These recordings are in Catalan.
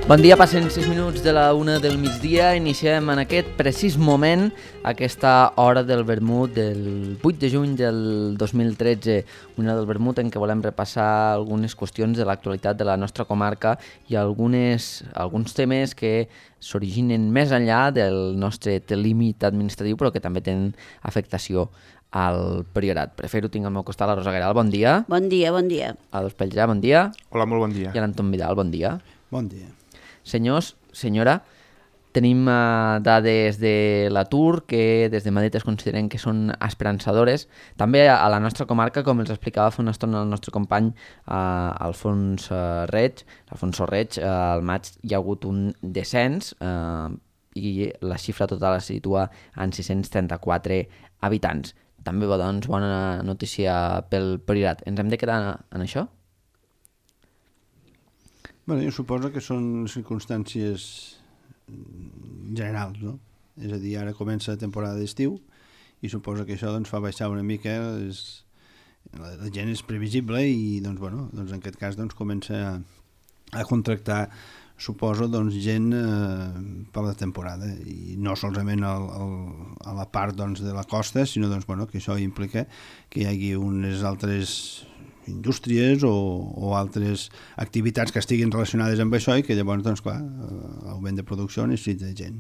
Bon dia, passen 6 minuts de la 1 del migdia. Iniciem en aquest precís moment aquesta hora del vermut del 8 de juny del 2013. Una del vermut en què volem repassar algunes qüestions de l'actualitat de la nostra comarca i alguns temes que s'originen més enllà del nostre límit administratiu, però que també tenen afectació al Priorat. Per fer-ho tinc al meu costat la Rosa Gueral, bon dia. Bon dia, bon dia. A l'Espeljà, bon dia. Hola, molt bon dia. I a l'Anton Vidal, bon dia. Bon dia. Senyors, senyora, tenim dades de l'atur que des de Madrid es consideren que són esperançadores. També a la nostra comarca, com els explicava fa una estona el nostre company Alfonso Reig, al maig hi ha hagut un descens i la xifra total es situa en 634 habitants. També doncs, bona notícia pel Priorat. Ens hem de quedar en això? Bueno, jo suposo que són circumstàncies generals, no? És a dir, ara comença la temporada d'estiu i suposo que això doncs, fa baixar una mica, la gent és previsible i doncs, bueno, doncs, en aquest cas doncs, comença a contractar, suposo, doncs, gent per la temporada i no solament a la part doncs, de la costa, sinó doncs, bueno, que això implica que hi hagi unes altres indústries o altres activitats que estiguin relacionades amb això i que llavors, doncs clar, l'augment de producció necessita gent.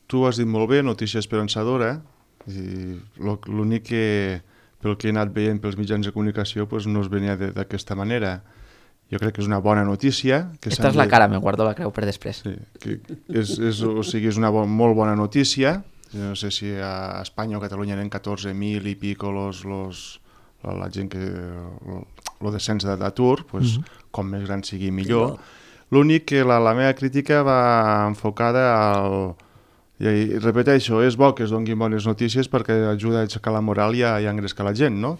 Tu has dit molt bé, notícia esperançadora, i l'únic que pel que he anat veient pels mitjans de comunicació doncs no es venia d'aquesta manera. Jo crec que és una bona notícia. Esta és la cara, me guardo la creu per després. Sí, que és una molt bona notícia. No sé si a Espanya o a Catalunya eren 14.000 i pico la gent que el descens d'atur, pues, com més gran sigui millor. L'únic que la meva crítica va enfocada al... I repeteixo, és bo que es donguin bones notícies perquè ajuda a aixecar la moral i a engrescar la gent, no?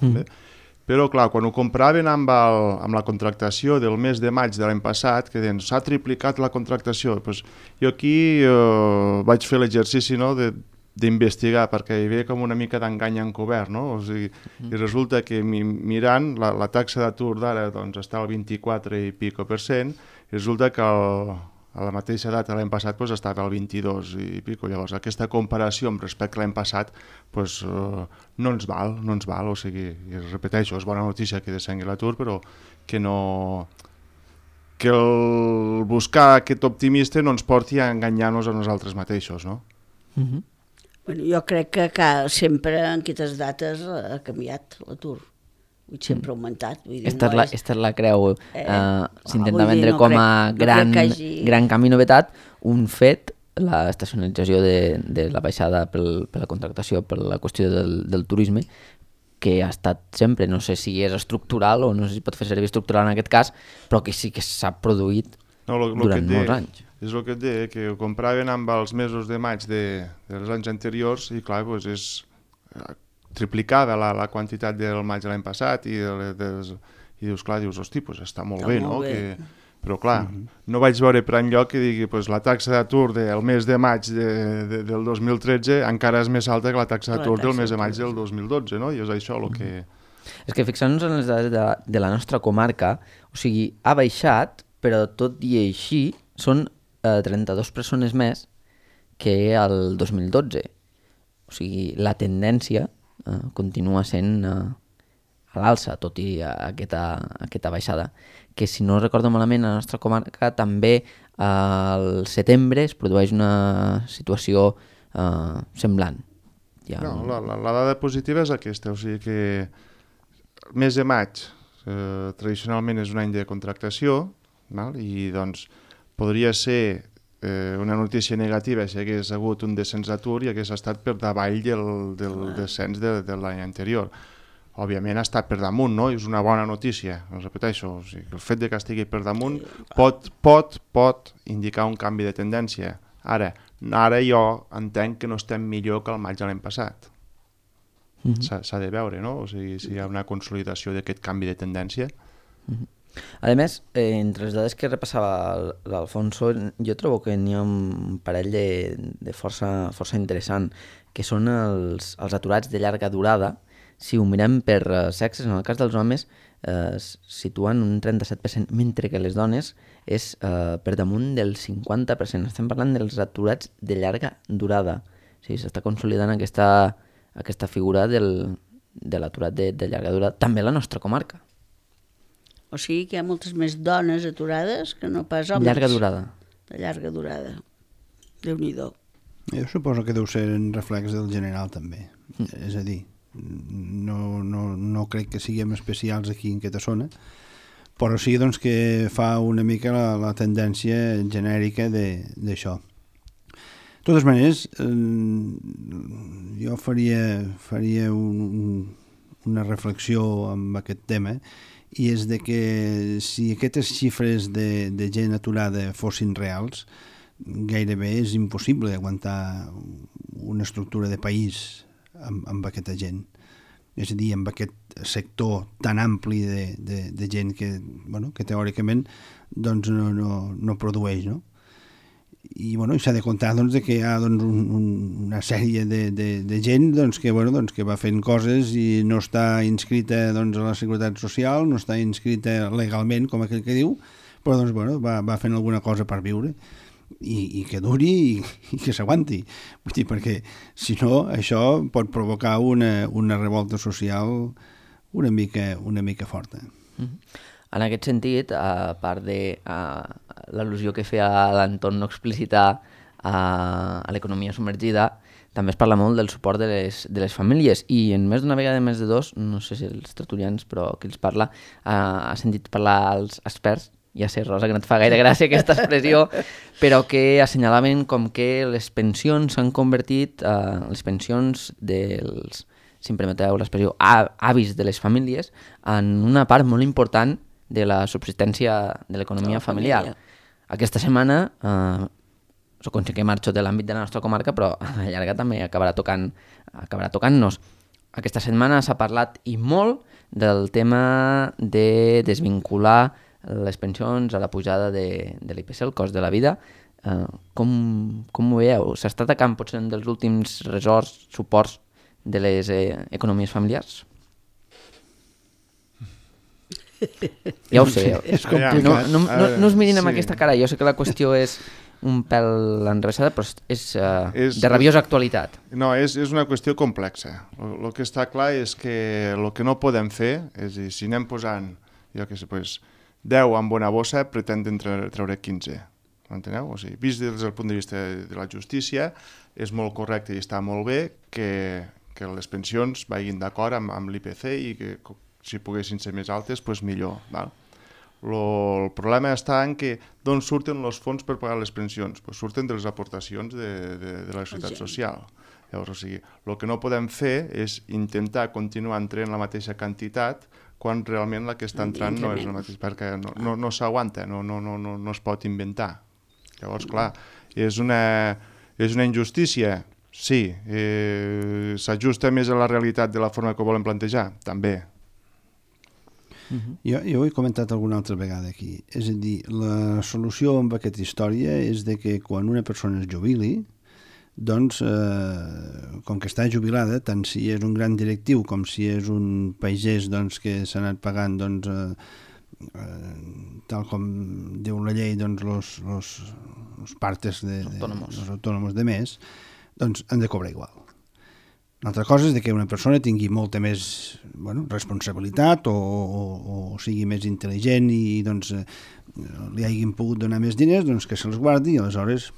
Però, clar, quan ho compraven amb la contractació del mes de maig de l'any passat, que deien, s'ha triplicat la contractació, doncs jo aquí vaig fer l'exercici, no?, d'investigar, perquè hi havia com una mica d'engany encobert, no? O sigui, i resulta que mirant, la taxa d'atur d'ara doncs, està al 24 i pico %, i resulta que a la mateixa data l'any passat doncs, estava al 22 i pico. Llavors, aquesta comparació amb respecte a l'any passat doncs, no ens val, o sigui, i repeteixo, és bona notícia que descengui l'atur, però que no... que el buscar aquest optimista no ens porti a enganyar-nos a nosaltres mateixos, no? Bueno, jo crec que sempre en aquestes dates ha canviat l'atur. Sempre ha augmentat. Esta és la creu. S'intenta vendre com a gran canvi novetat un fet, l'estacionalització de la baixada per la contractació, per la qüestió del turisme, que ha estat sempre, no sé si és estructural o no sé si pot fer servir estructural en aquest cas, però que sí que s'ha produït durant molts anys. És el que et deia, que ho compraven amb els mesos de maig dels anys anteriors i clar, doncs és triplicada la quantitat del maig de l'any passat i dius, clar, hosti, doncs està molt bé, no? Però clar, no vaig veure per enlloc que digui la taxa d'atur del mes de maig del 2013 encara és més alta que la taxa d'atur del mes de maig del 2012, no? I és això el que... És que fixant-nos en les dades de la nostra comarca, o sigui, ha baixat, però tot i així són 32 persones més que el 2012. O sigui, la tendència continua sent a l'alça, tot i aquesta baixada. Que si no recordo malament, a la nostra comarca també al setembre es produeix una situació semblant. No, la dada positiva és aquesta, o sigui que el mes de maig tradicionalment és un any de contractació, i doncs podria ser una notícia negativa si hagués hagut un descens d'atur i hagués estat per davall del descens de l'any anterior. Òbviament ha estat per damunt, no? És una bona notícia, ho repeteixo. O sigui, el fet de que estigui per damunt pot indicar un canvi de tendència. Ara jo entenc que no estem millor que el maig de l'any passat. S'ha de veure, no? O sigui, si hi ha una consolidació d'aquest canvi de tendència. A més, entre les dades que repassava l'Alfonso, jo trobo que n'hi ha un parell de força interessant, que són els aturats de llarga durada, si ho mirem per sexes, en el cas dels homes es situen un 37%, mentre que les dones és per damunt del 50%. Estem parlant dels aturats de llarga durada. O sigui, s'està consolidant aquesta figura de l'aturat de llarga durada, també a la nostra comarca. O sigui que hi ha moltes més dones aturades que no pas homes. Llarga durada. De llarga durada. Déu-n'hi-do. Jo suposo que deu ser en reflex del general també. És a dir, no crec que siguem especials aquí en aquesta zona, però sí doncs, que fa una mica la tendència genèrica d'això. De totes maneres, jo faria una reflexió amb aquest tema, i és de que si aquestes xifres de gent aturada fossin reals, gairebé és impossible aguantar una estructura de país amb aquesta gent. És a dir, amb aquest sector tan ampli de gent que teòricament doncs, no produeix, no? I s'ha de comptar doncs, que hi ha una sèrie de gent que va fent coses i no està inscrita a la Seguretat Social, no està inscrita legalment, com aquell que diu, però va fent alguna cosa per viure i que duri i que s'aguanti. Vull dir, perquè si no, això pot provocar una revolta social una mica forta. En aquest sentit, a part de l'al·lusió que feia l'entorn no explícita a l'economia submergida, també es parla molt del suport de les famílies, i en més d'una vegada, més de dos, no sé si els tertulians, però qui els parla, ha sentit parlar als experts, ja sé, Rosa, que no et fa gaire gràcia aquesta expressió, però que assenyalaven com que les pensions s'han convertit, les pensions dels, si em permeteu l'expressió, avis de les famílies, en una part molt important de la subsistència de l'economia familiar. Aquesta setmana, soc que marxo de l'àmbit de la nostra comarca, però a la llarga també acabarà tocant-nos. Aquesta setmana s'ha parlat i molt del tema de desvincular les pensions a la pujada de l'IPC, el cost de la vida. Com ho veieu? S'està atacant potser un dels últims ressorts, suports de les economies familiars? Ja ho sé. És complicat. No us mirin amb aquesta cara. Jo sé que la qüestió és un pèl enrevessada, però és de rabiosa actualitat. No, és una qüestió complexa. El que està clar és que el que no podem fer és dir, si anem posant, jo què sé, 10 amb bona bossa, pretenden treure 15. M'enteneu? O sigui, vist des del punt de vista de la justícia, és molt correcte i està molt bé que les pensions vagin d'acord amb l'IPC i que si poguessin ser més altes, doncs millor. Val? El problema està en que d'on surten els fons per pagar les pensions? Pues surten de les aportacions de la Seguretat Social. Llavors, o sigui, el que no podem fer és intentar continuar entrant la mateixa quantitat quan realment la que està entrant no és la mateixa, perquè no s'aguanta, no es pot inventar. Llavors, clar, és una injustícia? Sí. S'ajusta més a la realitat de la forma que ho volen plantejar? També. Jo ho he comentat alguna altra vegada aquí. És a dir, la solució amb aquesta història és de que quan una persona es jubili, doncs, com que està jubilada, tant si és un gran directiu com si és un pagès que s'ha anat pagant, tal com diu la llei, los partes dels autònoms de més, doncs han de cobrar igual. Una altra cosa és que una persona tingui molta més responsabilitat o sigui més intel·ligent i li hagin pogut donar més diners, que se'ls guardi i aleshores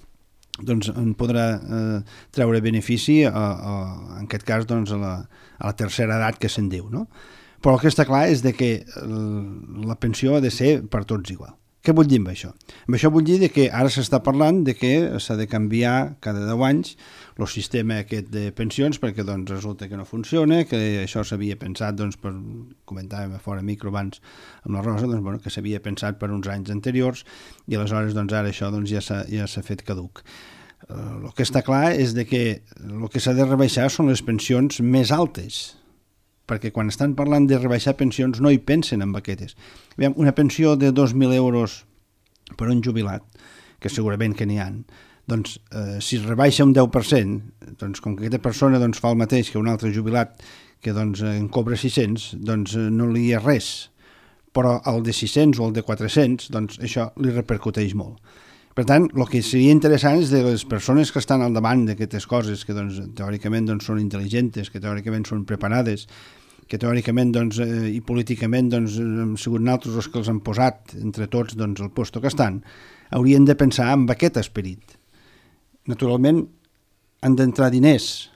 en podrà treure benefici en aquest cas a la tercera edat que se'n diu, no? Però el que està clar és que la pensió ha de ser per tots igual. Què vull dir amb això? Amb això vull dir que ara s'està parlant que s'ha de canviar cada 10 anys el sistema aquest de pensions perquè resulta que no funciona, que això s'havia pensat, comentàvem a fora micro abans amb la Rosa, que s'havia pensat per uns anys anteriors i aleshores ara això ja s'ha fet caduc. El que està clar és que el que s'ha de rebaixar són les pensions més altes, perquè quan estan parlant de rebaixar pensions no hi pensen en aquestes. Una pensió de 2.000 euros per un jubilat, que segurament que n'hi ha, doncs si es rebaixa un 10%, doncs com que aquesta persona doncs, fa el mateix que un altre jubilat que doncs, en cobra 600, doncs no li és res. Però el de 600 o el de 400, doncs això li repercuteix molt. Per tant, el que seria interessant és de les persones que estan al davant d'aquestes coses, que doncs, teòricament doncs, són intel·ligents, que teòricament són preparades, que teòricament doncs, i políticament doncs, hem sigut nosaltres els que els han posat entre tots doncs, el lloc que estan, haurien de pensar amb aquest esperit. Naturalment, han d'entrar diners,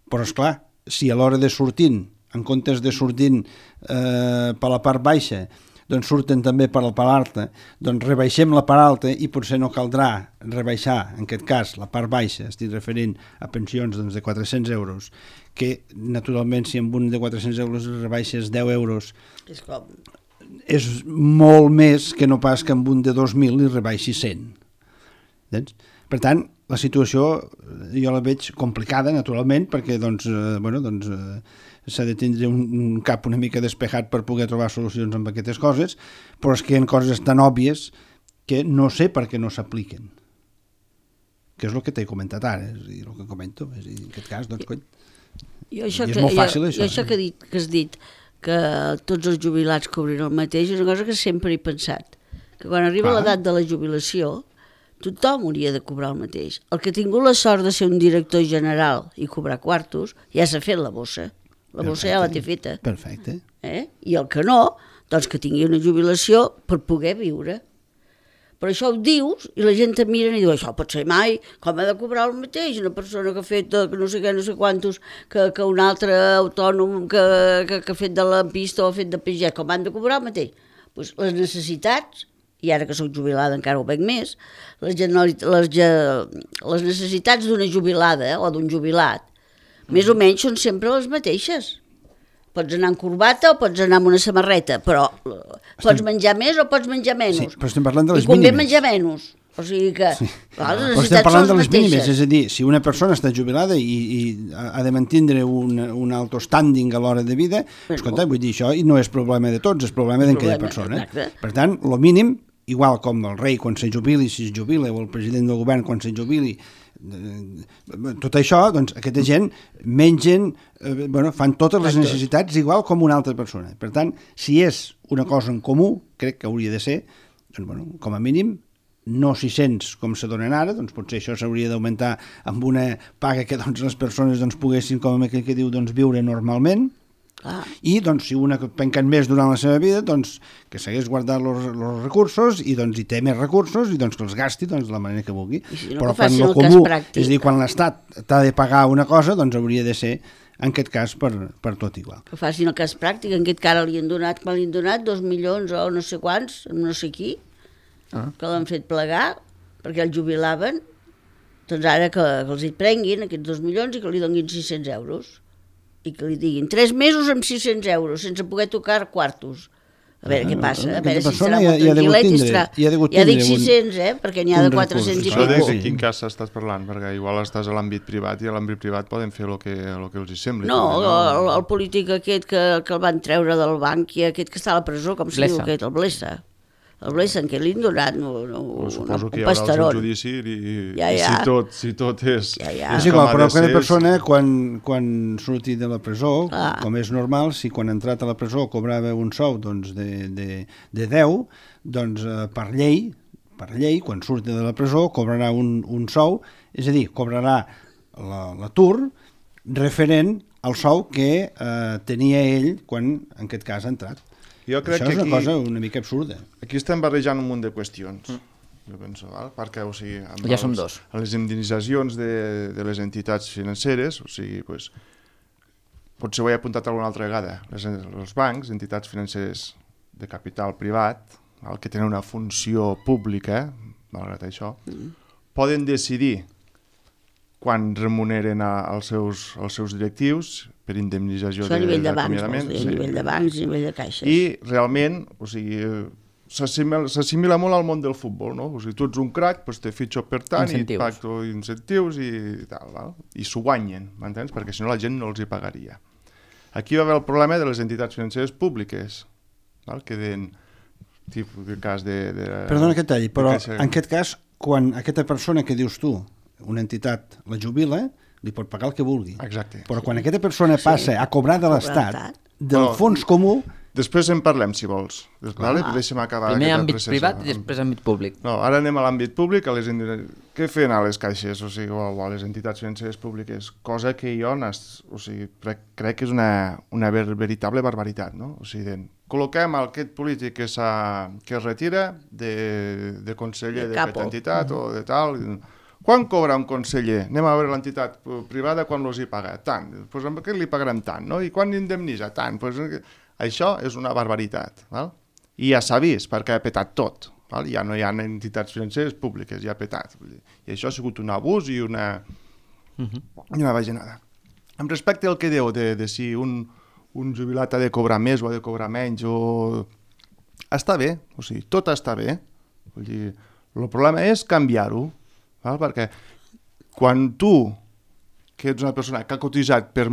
però esclar, si a l'hora de sortint, en comptes de sortint per la part baixa, doncs surten també per la part alta, doncs rebaixem la part alta i potser no caldrà rebaixar, en aquest cas, la part baixa, estic referint a pensions doncs, de 400 euros, que naturalment si amb un de 400 euros rebaixes 10 euros és molt més que no pas que amb un de 2.000 li rebaixi 100. Entens? Per tant, la situació jo la veig complicada, naturalment, perquè doncs, s'ha de tindre un cap una mica despejat per poder trobar solucions amb aquestes coses, però és que hi ha coses tan òbvies que no sé per què no s'apliquen. Que és el que t'he comentat ara, és a dir, el que comento. És a dir, en aquest cas, doncs, coi, és molt fàcil, això. Jo això que has dit, que tots els jubilats cobrin el mateix, és una cosa que sempre he pensat. Que quan arriba l'edat de la jubilació, tothom hauria de cobrar el mateix. El que ha tingut la sort de ser un director general i cobrar quartos, ja s'ha fet la bossa. La bossa ja la té feta. Perfecte. I el que no, doncs que tingui una jubilació per poder viure. Però això ho dius i la gent et mira i diu, això pot ser mai, com ha de cobrar el mateix una persona que ha fet no sé què, no sé quantos, que un altre autònom que ha fet de lampista o ha fet de pagès, com han de cobrar el mateix? Pues les necessitats, i ara que soc jubilada encara ho veig més, les necessitats d'una jubilada o d'un jubilat, més o menys són sempre les mateixes. Pots anar amb corbata o pots anar amb una samarreta, però pots menjar més o pots menjar menys. Sí, però estem parlant de les mínimes. I convé mínimes. menjar menys. O sigui que les però necessitats estem parlant són de les les mínimes, mateixes. és a dir, si una persona està jubilada i ha de mantindre un alto standing a l'hora de vida, escolta, vull dir, això no és problema de tots, és problema d'aquella persona. Exacte. Per tant, el mínim, igual com el rei quan se jubili, si es jubila, o el president del govern quan se jubili, tot això, doncs aquesta gent mengen, fan totes les necessitats igual com una altra persona. Per tant, si és una cosa en comú, crec que hauria de ser, doncs, com a mínim, no 600 com se donen ara, doncs potser això s'hauria d'augmentar amb una paga que doncs, les persones doncs, poguessin, com aquell que diu, doncs, viure normalment. I doncs, si una penquen més durant la seva vida, doncs, que s'hagués guardat els recursos i doncs, hi té més recursos i doncs, que els gasti doncs, de la manera que vulgui. Si no, però quan el comú, és a dir, quan l'Estat t'ha de pagar una cosa, doncs hauria de ser en aquest cas per tot igual. Que facin el cas pràctic, en aquest cas li han donat, quan li han donat 2 milions o no sé quants, no sé qui, que l'han fet plegar perquè el jubilaven, doncs ara que els hi prenguin aquests 2 milions i que li donin 600 euros. I que li diguin 3 mesos amb 600 euros, sense poder tocar quartos. A veure què passa, a veure si estarà molt tranquil·let i estarà... Ja dic 600, perquè n'hi ha de 400 i pico. pico. De quin cas estàs parlant? Perquè igual estàs a l'àmbit privat i a l'àmbit privat poden fer el que els hi sembli. No, el polític aquest que el van treure del banc i aquest que està a la presó, com se diu aquest, el Blesa. El Blesa, en què li han donat suposo que un hi haurà pastarón. el judici i si tot és... És igual, però cada persona quan surti de la presó, com és normal, si quan ha entrat a la presó cobrava un sou doncs, de 10, doncs per llei, quan surti de la presó cobrarà un sou, és a dir, cobrarà l'atur referent al sou que tenia ell quan en aquest cas ha entrat. Jo crec això és una aquí, cosa una mica absurda. Aquí estem barrejant un munt de qüestions, jo penso, perquè, o sigui, amb ja som dos. Les indemnitzacions de les entitats financeres, o sigui, pues, potser ho he apuntat alguna altra vegada, els bancs, entitats financeres de capital privat, que tenen una funció pública, malgrat això, poden decidir quan remuneren als seus directius per indemnització d'acomiadament. A nivell de bancs, a nivell de caixes. I realment, o sigui, s'assimila molt al món del futbol, no? O sigui, tu ets un crac, doncs te fitxo per tant i et pacto incentius i tal, val? I s'ho guanyen, m'entens? Perquè si no la gent no els hi pagaria. Aquí va haver el problema de les entitats financeres públiques, val? Que den tipus de cas de... Perdona que et talli, però en aquest cas quan aquesta persona que dius tu, una entitat la jubila, li pot pagar el que vulgui. Exacte. Però quan aquesta persona passa a cobrar de l'Estat, del fons comú... Després en parlem, si vols. Vale? Deixa'm acabar. Primer àmbit privat i després àmbit públic. No, ara anem a l'àmbit públic. Què feien a les caixes, o sigui, o a les entitats financeres públiques? Cosa que jo crec que és una veritable barbaritat, no? O sigui, col·loquem aquest polític que es retira de conseller d'aquesta entitat o de tal... Quan cobra un conseller? Anem a veure l'entitat privada quan els hi paga. Tant. Pues amb aquest li pagarem tant, no? I quan indemnitza? Tant. Pues, això és una barbaritat. Val? I ja s'ha vist, perquè ha petat tot. Val? Ja no hi ha entitats financeres públiques, ja ha petat. I això ha sigut un abús i una bajanada. Amb respecte al que diu de si un jubilat ha de cobrar més o ha de cobrar menys, està bé, o sigui, tot està bé. Vull dir, el problema és canviar-ho. Val? Perquè quan tu, que ets una persona que ha cotitzat per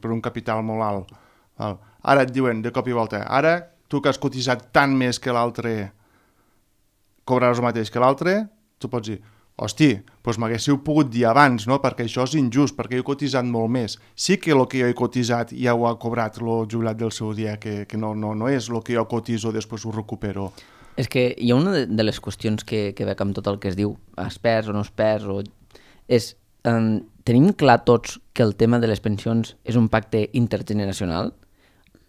un capital molt alt, val? Ara et diuen de cop i volta, ara tu que has cotitzat tant més que l'altre cobraràs el mateix que l'altre, tu pots dir, hosti, doncs m'haguéssiu pogut dir abans, no? Perquè això és injust, perquè jo he cotitzat molt més. Sí que el que jo he cotitzat ja ho ha cobrat el jubilat del seu dia, que no és el que jo cotizo, després ho recupero. És que hi ha una de les qüestions que veig amb tot el que es diu, es perd o no es perd, és tenim clar tots que el tema de les pensions és un pacte intergeneracional?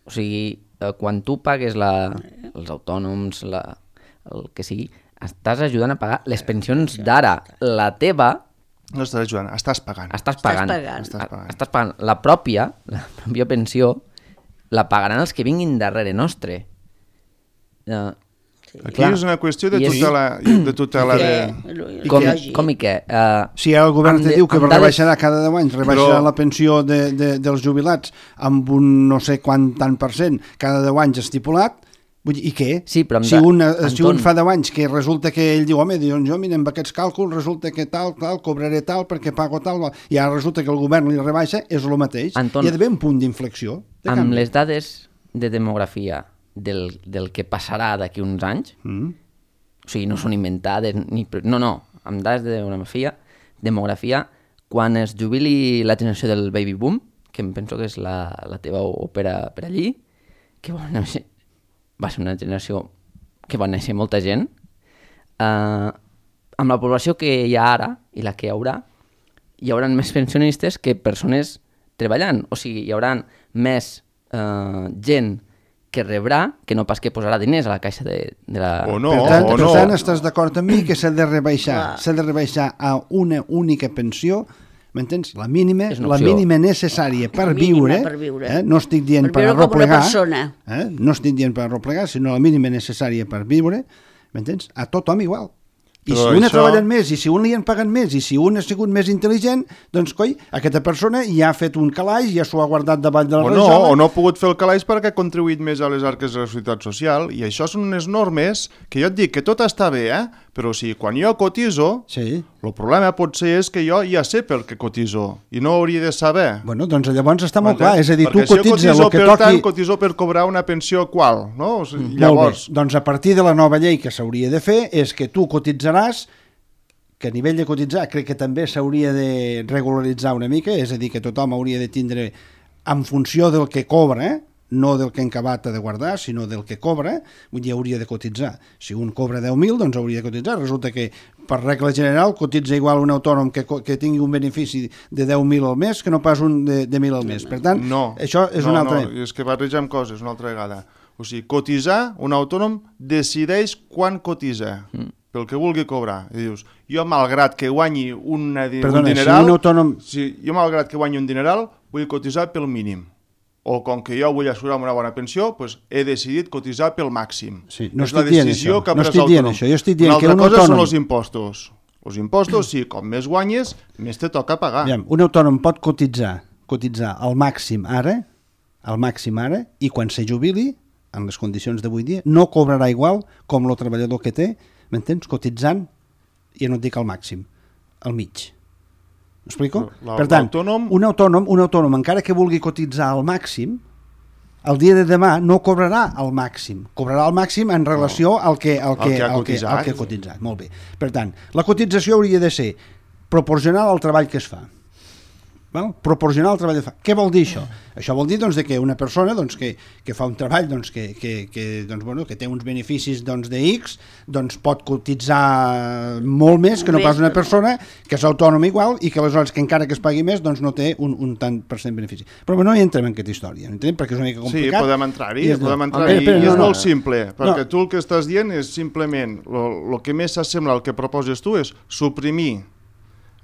O sigui, quan tu pagues els autònoms, el que sigui, estàs ajudant a pagar les pensions d'ara. La teva... No estàs ajudant, estàs pagant. Estàs pagant. La pròpia pensió la pagaran els que vinguin darrere nostre. Aquí és una qüestió de tutela de... Com i què? Si el govern te diu que rebaixarà cada 10 anys, rebaixarà la pensió dels jubilats amb un no sé quant tant % cada 10 anys estipulat, i què? Sí, però si un fa 10 anys que resulta que ell diu, home, jo mira, amb aquests càlculs resulta que tal, cobraré tal perquè pago tal, i ara resulta que el govern li rebaixa, és el mateix. Anton, hi ha d'haver un punt d'inflexió. Amb les dades de demografia del que passarà d'aquí uns anys, o sigui, no són inventades, amb dades de demografia, quan es jubili la generació del baby boom, que em penso que és la teva òpera per allí, que va ser una generació que va néixer molta gent, amb la població que hi ha ara i la que hi haurà més pensionistes que persones treballant, o sigui, hi haurà més gent que rebrà, que no pas que posarà diners a la caixa de la... Per tant, estàs d'acord amb mi que s'ha de rebaixar a una única pensió, m'entens? La mínima necessària per viure, no estic dient per arreplegar, no estic dient per arreplegar, sinó la mínima necessària per viure, m'entens? A tothom igual. I si un ha treballat més, i si un li han pagat més, i si un ha sigut més intel·ligent, doncs, coi, aquesta persona ja ha fet un calaix, ja s'ho ha guardat davall de la rajola. O no ha pogut fer el calaix perquè ha contribuït més a les arques de la Seguretat Social, i això són unes normes que jo et dic que tot està bé, però si quan jo cotizo, el problema potser és que jo ja sé per què cotizo, i no hauria de saber. Bueno, doncs llavors està molt clar, és a dir, tu cotitzes el que toqui... Per tant, cotizo per cobrar una pensió qual, no? Llavors... Doncs a partir de la nova llei que s'hauria de fer és que tu cotitzaràs, que a nivell de cotitzar crec que també s'hauria de regularitzar una mica, és a dir, que tothom hauria de tindre en funció del que cobra, no del que en acabat ha de guardar, sinó del que cobra, vull dir, hauria de cotitzar. Si un cobra 10.000, doncs hauria de cotitzar. Resulta que, per regla general, cotitza igual un autònom que tingui un benefici de 10.000 al mes que no pas un de 1.000 al mes. Per tant, això és una altra... No, és que barregem coses una altra vegada. O sigui, cotitzar, un autònom decideix quan cotitza, pel que vulgui cobrar. I dius, jo malgrat que guanyi un dineral... Si un autònom... Jo malgrat que guanyi un dineral, vull cotitzar pel mínim. O com que jo vull assegurar una bona pensió, doncs he decidit cotitzar pel màxim. Sí, no estic dient això. No estic dient això. Jo estic dient que un autònom... Una altra cosa són els impostos. Els impostos, sí, com més guanyes, més te toca pagar. Un autònom pot cotitzar al màxim ara, i quan se jubili, en les condicions d'avui dia, no cobrarà igual com el treballador que té, m'entens? Cotitzant, i no et dic al màxim, al mig. M'explico? Per tant, un autònom, encara que vulgui cotitzar al màxim, el dia de demà no cobrarà el màxim, cobrarà el màxim en relació al que ha cotitzat. Molt bé. Per tant, la cotització hauria de ser proporcional al treball que es fa. Val? Proporcional al treball que fa. Què vol dir això? Això vol dir doncs, que una persona doncs, que fa un treball doncs, que té uns beneficis doncs, de X doncs, pot cotitzar molt més que no pas una persona que és autònoma igual i que aleshores que encara que es pagui més doncs, no té un tant per cent benefici. Però no hi entrem en aquesta història, perquè és una mica complicat. Sí, podem entrar-hi, i és molt simple, perquè tu el que estàs dient és simplement el que més s'assembla al que proposes tu és suprimir,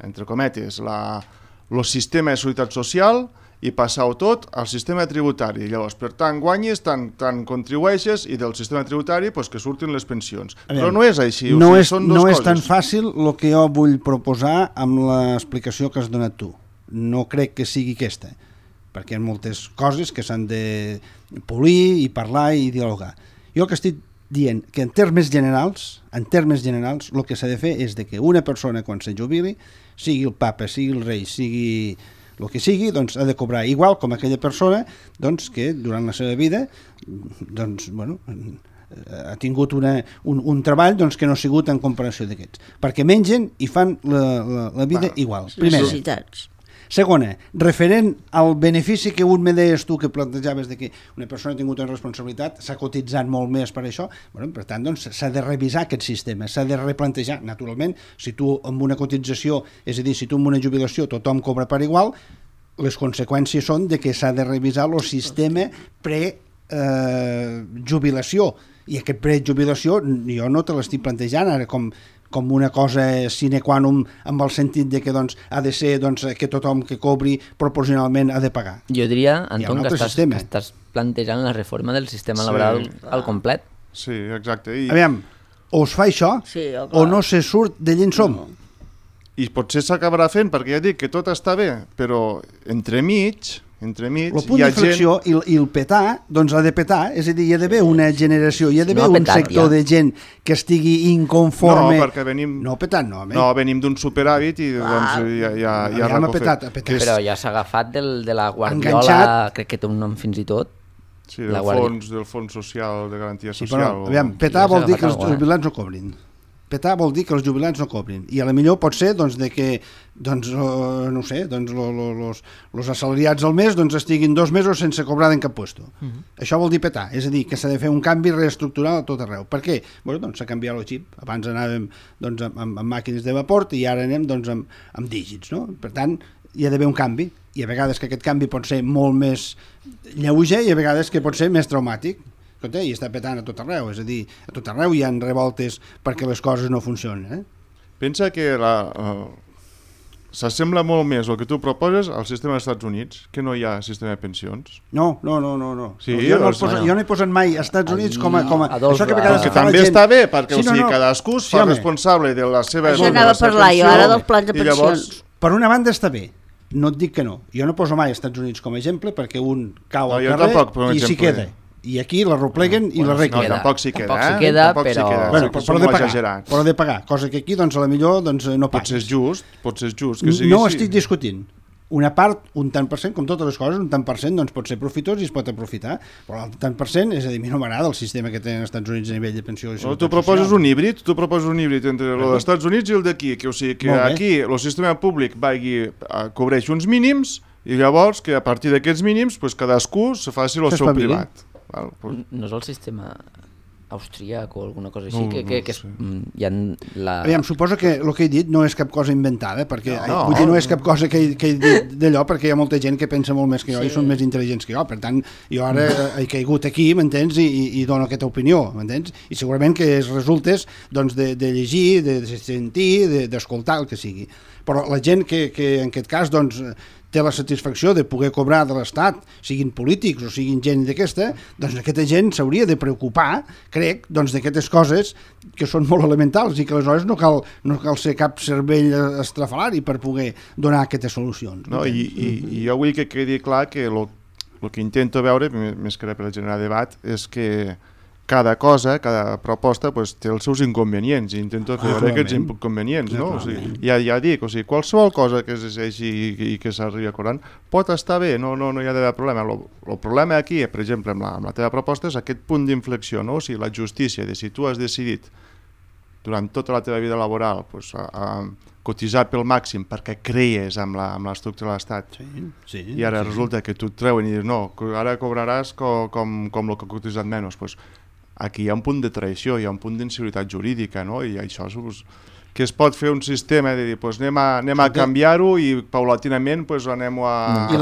entre cometes, el sistema de seguretat social i passar-ho tot al sistema tributari. Llavors, per tant, guanyes, tant contribueixes i del sistema tributari pues, que surtin les pensions. Però no és així. No és tan fàcil el que jo vull proposar amb l'explicació que has donat tu. No crec que sigui aquesta, perquè hi ha moltes coses que s'han de polir i parlar i dialogar. Jo el que estic dient que en termes generals, el que s'ha de fer és que una persona quan se jubili, sigui el papa, sigui el rei, sigui el que sigui, doncs ha de cobrar igual com aquella persona doncs, que durant la seva vida doncs, bueno, ha tingut un treball doncs, que no ha sigut en comparació d'aquests. Perquè mengen i fan la vida igual. Primera. Necessitats. Segona, referent al benefici que un me deies tu que plantejaves de que una persona ha tingut una responsabilitat, s'ha cotitzat molt més per això, bueno, per tant doncs, s'ha de revisar aquest sistema, s'ha de replantejar. Naturalment, si tu amb una cotització, és a dir, si tu amb una jubilació tothom cobra per igual, les conseqüències són de que s'ha de revisar el sistema pre-jubilació, i aquest pre-jubilació jo no te l'estic plantejant ara com una cosa sine qua non amb el sentit de que doncs, ha de ser doncs, que tothom que cobri proporcionalment ha de pagar. Jo diria, Anton, que estàs plantejant la reforma del sistema laboral al complet. Sí, exacte. Aviam, o es fa això o no se surt de llen som. I potser s'acabarà fent, perquè ja dic que tot està bé, però entremig el punt d'inflexió i el petar, doncs ha de petar, és a dir, hi ha d'haver una generació, hi ha d'haver un sector de gent que estigui inconforme. No, perquè venim... No, petant no, no, venim d'un superàvit i doncs ja petat. Però ja s'ha agafat de la Guardiola, crec que té un nom fins i tot. Sí, del fons social, de garantia social. Aviam, petar vol dir que els jubilats no cobrin. Petar vol dir que els jubilats no cobrin, i a la millor pot ser doncs, de que doncs, no sé, doncs, los assalariats al mes doncs, estiguin 2 mesos sense cobrar en cap puesto. Això vol dir petar, és a dir, que s'ha de fer un canvi reestructural a tot arreu. Per què? Bueno, doncs s'ha canviat el xip. Abans anàvem doncs, amb màquines de vapor i ara anem doncs, amb dígits. No? Per tant, hi ha d'haver un canvi, i a vegades que aquest canvi pot ser molt més lleuger i a vegades que pot ser més traumàtic. I està petant a tot arreu, és a dir, a tot arreu hi ha revoltes perquè les coses no funcionen. Pensa que s'assembla molt més el que tu proposes al sistema dels Estats Units, que no hi ha sistema de pensions. No. Sí, jo no he posat mai als Estats Units com a... Això que a vegades que també està bé, perquè cadascú es fa responsable de la seva... Això anava a parlar jo ara dels plans de pensions. Per una banda està bé, no et dic que no. Jo no poso mai als Estats Units com a exemple perquè un cau al carrer i s'hi queda. I aquí la repleguen i la arreglen. No, tampoc s'hi queda, però de pagar, cosa que aquí doncs, a la millor doncs, no pagues. Pot ser just que sigui no estic discutint. Una part, un tant per cent, com totes les coses, un tant per cent doncs, pot ser profitós i es pot aprofitar, però el tant per cent, és a dir, a mi no m'agrada el sistema que tenen els Estats Units a nivell de pensió i seguretat social. Tu proposes un híbrid entre els Estats Units i el d'aquí, o sigui que aquí el sistema públic cobreix uns mínims i llavors que a partir d'aquests mínims cadascú se faci el seu privat. No és el sistema austríac o alguna cosa així hi ha Aviam, suposo que el que he dit no és cap cosa inventada, perquè no és cap cosa que he dit d'allò, perquè hi ha molta gent que pensa molt més que jo i són més intel·ligents que jo, per tant jo ara he caigut aquí, m'entens, i dono aquesta opinió, m'entens, i segurament que es resultes doncs, de llegir, de sentir, d'escoltar, el que sigui, però la gent que en aquest cas doncs té la satisfacció de poder cobrar de l'Estat, siguin polítics o siguin gent d'aquesta, doncs aquesta gent s'hauria de preocupar, crec, doncs d'aquestes coses que són molt elementals i que aleshores no cal ser cap cervell estrafalari per poder donar aquestes solucions. I jo vull que quedi clar que el que intento veure, més que res per generar debat, és que cada cosa, cada proposta pues, té els seus inconvenients i intento fer veure aquests inconvenients, no? O sigui, ja dic, o sigui, qualsevol cosa que es decideixi i que s'arribi a acordant pot estar bé, no hi ha d'haver problema. El problema aquí, per exemple, amb la teva proposta és aquest punt d'inflexió, no? O sigui, la justícia, de si tu has decidit durant tota la teva vida laboral pues, a cotitzar pel màxim perquè creies amb l'estructura de l'Estat i ara resulta que tu et treuen i dius no, ara cobraràs com el que ha cotitzat menys, pues, aquí hi ha un punt de traïció, hi ha un punt d'inseguretat jurídica, no? I això que es pot fer un sistema de dir, pues anem a canviar-ho i paulatinament pues, anem a... I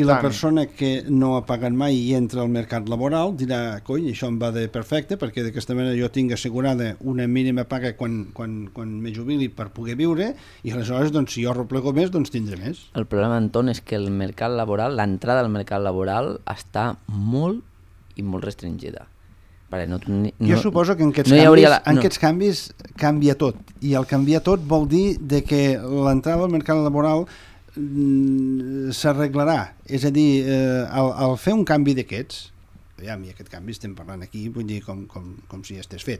la persona que no ha pagat mai i entra al mercat laboral dirà, coi, això em va de perfecte perquè d'aquesta manera jo tinc assegurada una mínima paga quan me jubili per poder viure i aleshores doncs, si jo replego més doncs tindré més. El problema, Anton, és que el mercat laboral, l'entrada al mercat laboral està molt i molt restringida. Vale, jo suposo que en aquests canvis canvia tot, i el canviar tot vol dir de que l'entrada al mercat laboral s'arreglarà, és a dir, al fer un canvi d'aquests, i aquest canvi estem parlant aquí, vull dir, com si estigués fet,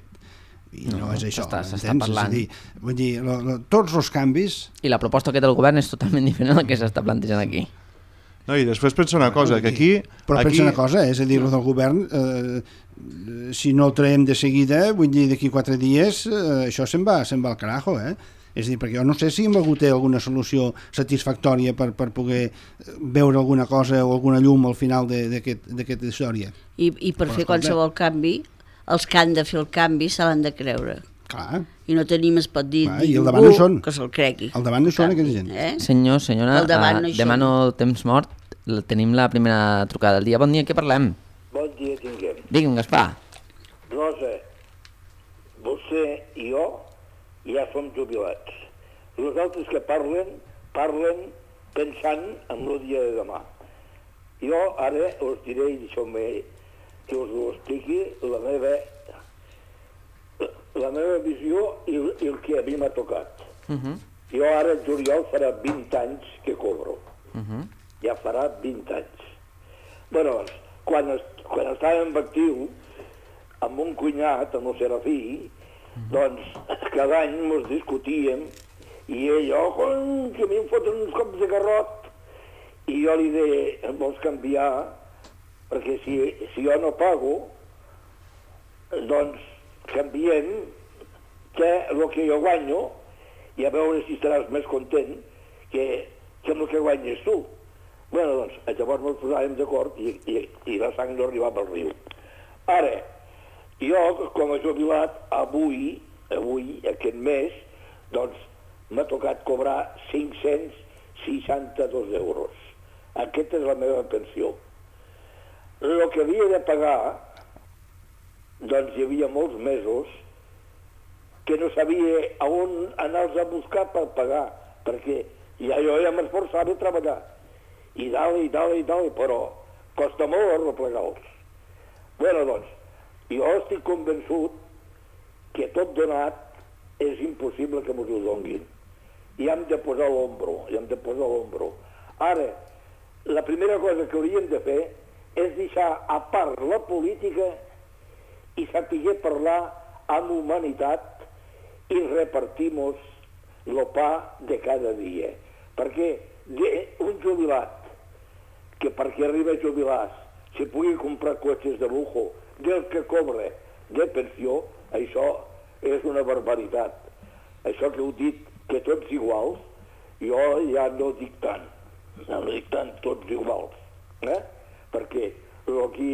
i no és això, s'està parlant. Vull dir, tots els canvis... I la proposta que té el govern és totalment diferent del que s'està plantejant aquí. No, i després pensa una cosa, que aquí... Però pensa una cosa, és a dir, el del govern, si no el traiem de seguida, vull dir, d'aquí 4 dies, això se'n va al carajo, És a dir, perquè jo no sé si hem hagut alguna solució satisfactòria per poder veure alguna cosa o alguna llum al final d'aquesta història. I per fer qualsevol canvi, els que han de fer el canvi se l'han de creure. Clar. I no tenim, es pot dir, ningú que se'l cregui. Al davant no són aquesta gent. Senyora, demano temps mort. Tenim la primera trucada del dia. Bon dia, què parlem? Bon dia tinguem. Digue'm, Gaspar. Rosa, vostè i jo ja som jubilats. Els altres que parlen pensant en el dia de demà. Jo ara us diré, i deixeu-me que us ho expliqui, la meva visió i el que a mi m'ha tocat. Jo ara, en juliol, farà 20 anys que cobro. Ja farà 20 anys. Bueno, quan estàvem actiu, amb un cunyat, amb el Serafí, doncs cada any ens discutíem i ell, que a mi em foten uns cops de garrot, i jo li deia, em vols canviar? Perquè si jo no pago, doncs canviem el que jo guanyo i a veure si estaràs més content que amb el que guanyes tu. Bueno, doncs, llavors ens posàvem d'acord i la sang no arribava al riu. Ara, jo, com a jubilat, avui, aquest mes, doncs, m'ha tocat cobrar 562 euros. Aquesta és la meva pensió. El que havia de pagar, doncs hi havia molts mesos que no sabia on anar-los a buscar per pagar, perquè jo ja m'esforçava a treballar. I dalt, però costa molt arreplegar-los. Bueno, doncs, jo estic convençut que tot donat és impossible que m'ho donguin. I hem de posar l'ombro, Ara, la primera cosa que hauríem de fer és deixar a part la política i saber parlar amb humanitat i repartir-nos el pa de cada dia. Perquè un jubilat que perquè arriba a jubilar si pugui comprar cotxes de lujo del que cobra de pensió, això és una barbaritat. Això que heu dit, que tots iguals, jo ja no dic tant. No dic tant tots iguals. Perquè aquí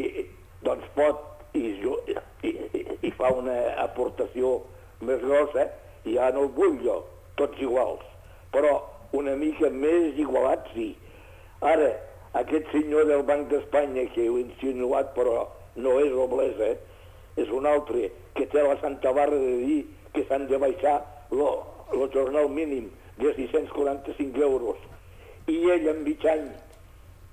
doncs pot i fa una aportació més grossa i ja no el vull jo, tots iguals. Però una mica més igualat sí. Ara, aquest senyor del Banc d'Espanya que heu insinuat però no és Roblesa, és un altre que té la santa barra de dir que s'han de baixar el jornal mínim de 645 euros i ell en mig any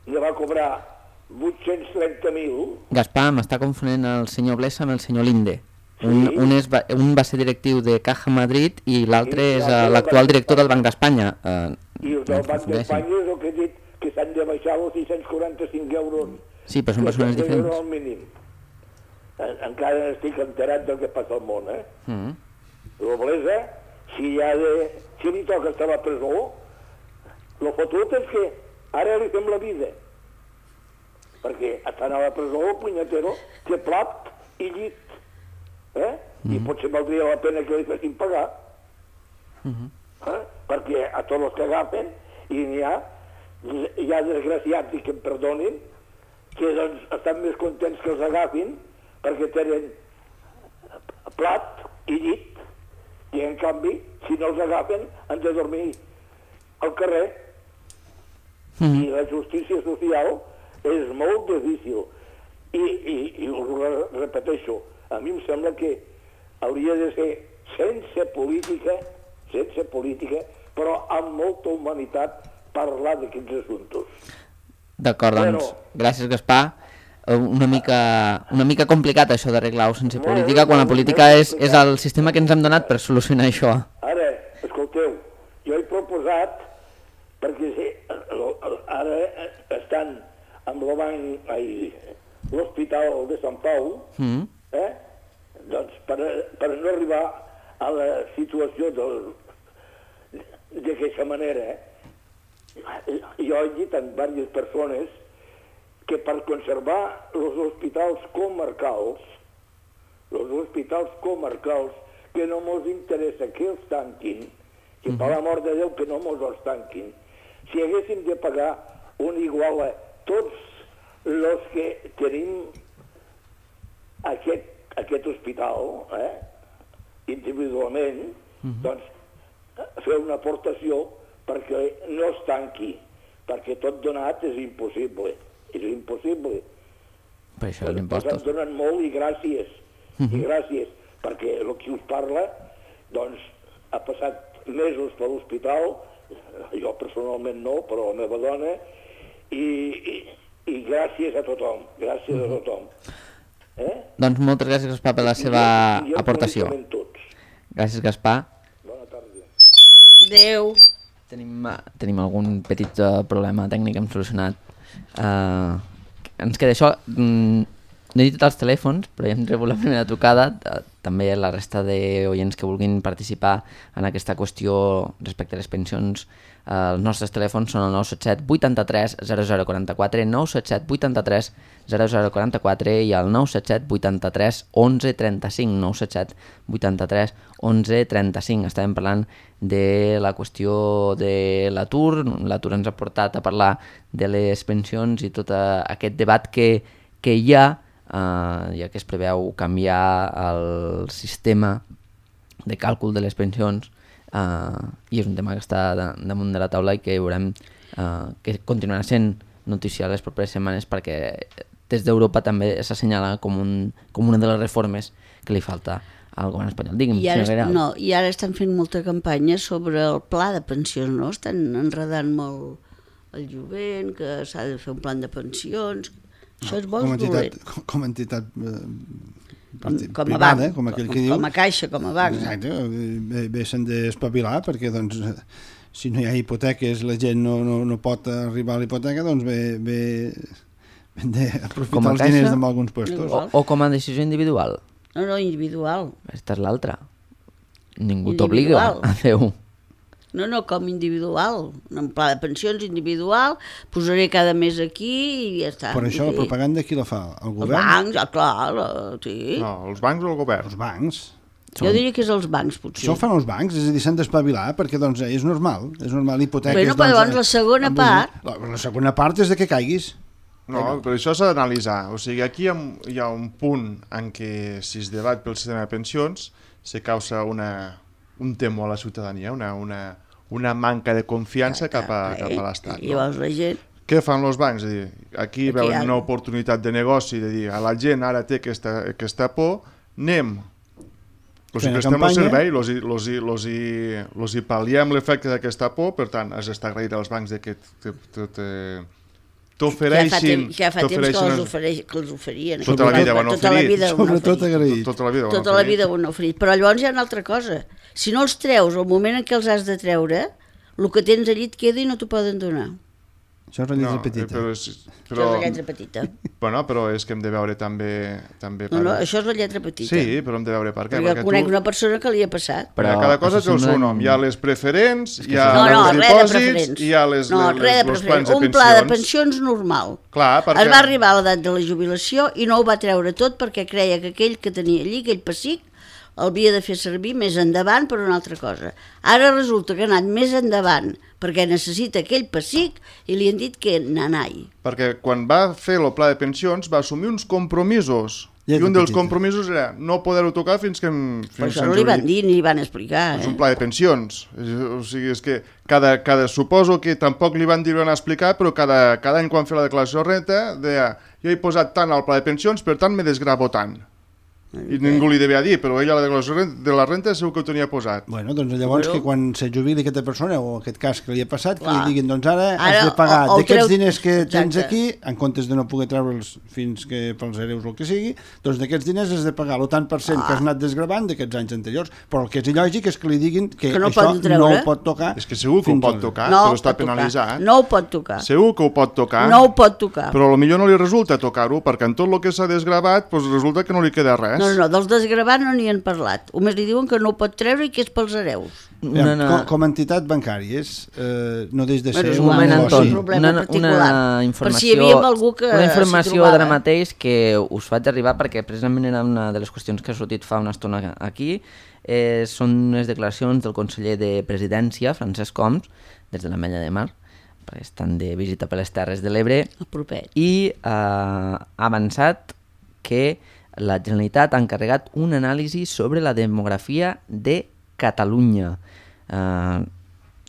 ne va cobrar 830.000. Gaspar, m'està confonent el senyor Blesa amb el senyor Linde. Un va ser directiu de Caja Madrid i l'altre és l'actual director del Banc d'Espanya. I el del Banc d'Espanya és el que he dit, que s'han de baixar els 645 euros. Sí, però són persones diferents. Al mínim. encara estic enterat del que passa al món, La Blesa, si li toca estar a la presó, el fotut és que ara li fem la vida. Perquè estan a la presó, el punyetero, té plat i llit. I potser valdria la pena que li fessin pagar. Perquè a tots els que agafen, i n'hi ha desgraciats, i que em perdonin, que doncs estan més contents que els agafin, perquè tenen plat i llit, i en canvi, si no els agafen, han de dormir al carrer. I la justícia social és molt difícil. I us repeteixo, a mi em sembla que hauria de ser sense política, però amb molta humanitat, parlar d'aquests assumptes. D'acord, doncs, gràcies, Gaspar. Una mica complicat això d'arreglar-ho sense política, quan la política és el sistema que ens hem donat per solucionar això. Ara, escolteu, jo he proposat, perquè ara estan amb l'Hospital de Sant Pau, doncs per no arribar a la situació d'aquesta manera, jo he dit a diverses persones que per conservar els hospitals comarcals, que no mos interessa que els tanquin, que per l'amor de Déu que no mos els tanquin, si haguéssim de pagar un igual a tots els que tenim aquest hospital, individualment, doncs fer una aportació perquè no es tanqui, perquè tot donat és impossible. És impossible. Per això els impostos. Ens donen molt i gràcies. I gràcies, perquè el que us parla, doncs, ha passat mesos per l'hospital, jo personalment no, però la meva dona, i gràcies a tothom, Doncs moltes gràcies, Gaspar, per la seva aportació. Gràcies, Gaspar. Bona tarda. Adéu. Tenim algun petit problema tècnic que hem solucionat. Ens queda això. No he dit els telèfons, però ja hem rebut la primera trucada. També la resta d'oients que vulguin participar en aquesta qüestió respecte a les pensions. Els nostres telèfons són el 977 83 0044, 977 83 0044 i el 977 83 11 35, 977 83 11 35. Estàvem parlant de la qüestió de l'atur. L'atur ens ha portat a parlar de les pensions i tot aquest debat que hi ha, ja que es preveu canviar el sistema de càlcul de les pensions, i és un tema que està damunt de la taula i que veurem que continuarà sent notícia les properes setmanes, perquè des d'Europa també s'assenyala com una de les reformes que li falta al govern espanyol. Digue'm, I ara estan fent molta campanya sobre el pla de pensions, no? Estan enredant molt el jovent, que s'ha de fer un plan de pensions. Això és bo, com a entitat privada, com aquell que diu. Com a caixa, com a banc. Exacte, bé s'han d'espavilar, perquè doncs, si no hi ha hipoteques, la gent no pot arribar a la hipoteca, doncs bé hem d'aprofitar els diners en alguns puestos. O com a decisió individual. No, individual. Aquesta és l'altra. Ningú t'obliga a fer-ho. No, com individual. Un pla de pensions individual, posaré cada mes aquí i ja està. Per això la propaganda qui la fa? El govern? Els bancs, clar, sí. No, els bancs o el govern? Els bancs. Jo diria que és els bancs, potser. Això ho fan els bancs, és a dir, s'han d'espavilar, perquè doncs és normal hipoteques... Bueno, però llavors la segona part... La segona part és de que caiguis. No, però això s'ha d'analitzar. O sigui, aquí hi ha un punt en què si es debat pel sistema de pensions se causa un temor a la ciutadania, una manca de confiança cap a l'Estat. I llavors la gent... Què fan els bancs? És a dir, aquí veuen una oportunitat de negoci, de dir, a la gent ara té aquesta por, anem, els prestem el servei, els hi pal·liem l'efecte d'aquesta por, per tant, has d'estar agraït als bancs que t'ofereixin... Ja fa temps que els oferien. Tota la vida ho han oferit. Sobretot agraït. Tota la vida ho han oferit. Però llavors hi ha una altra cosa. Si no els treus, al moment en què els has de treure, el que tens allí et queda i no t'ho poden donar. Això és la lletra petita. Això és la lletra petita. Bueno, però és que hem de veure també No, això és la lletra petita. Sí, però hem de veure per què. Perquè conec una persona que li ha passat. Però cada cosa té el seu nom. Hi ha les preferents, hi ha els dipòsits, hi ha els plans de pensions. Un pla de pensions normal. Clar, perquè... Es va arribar a l'edat de la jubilació i no ho va treure tot perquè creia que aquell que tenia allí, aquell pessic, el havia de fer servir més endavant per una altra cosa. Ara resulta que ha anat més endavant perquè necessita aquell pessic i li han dit que nanai. Perquè quan va fer el pla de pensions va assumir uns compromisos i un dels compromisos era no poder-ho tocar fins que... Però això no li van dir ni li van explicar. És un pla de pensions. O sigui, és que suposo que tampoc li van dir van explicar, però cada any quan fer la declaració de renta deia jo he posat tant al pla de pensions, per tant me desgravo tant. I ningú li devia dir, però ella la declaració de la renta segur que ho tenia posat. Bueno, doncs llavors que quan se jubili aquesta persona, o aquest cas que li ha passat, que li diguin, doncs ara has de pagar d'aquests diners que tens aquí, en comptes de no poder treure'ls fins que pels hereus o el que sigui, doncs d'aquests diners has de pagar el tant per cent que has anat desgravant d'aquests anys anteriors. Però el que és il·lògic és que li diguin que això no ho pot tocar. És que segur que ho pot tocar, però està penalitzat. No ho pot tocar. Segur que ho pot tocar. No ho pot tocar. Però potser no li resulta tocar-ho, perquè en tot el que s'ha desgravat resulta que no li queda res. No, dels desgravats no n'hi han parlat. Només li diuen que no ho pot treure i que és pels hereus. Com a entitat bancàries no deix de ser un negoci. Una informació d'ara mateix que us faig arribar perquè precisament era una de les qüestions que ha sortit fa una estona aquí. Són unes declaracions del conseller de Presidència, Francesc Homs, des de l'Ametlla de Mar, perquè estan de visita per les Terres de l'Ebre, i ha avançat que la Generalitat ha encarregat una anàlisi sobre la demografia de Catalunya.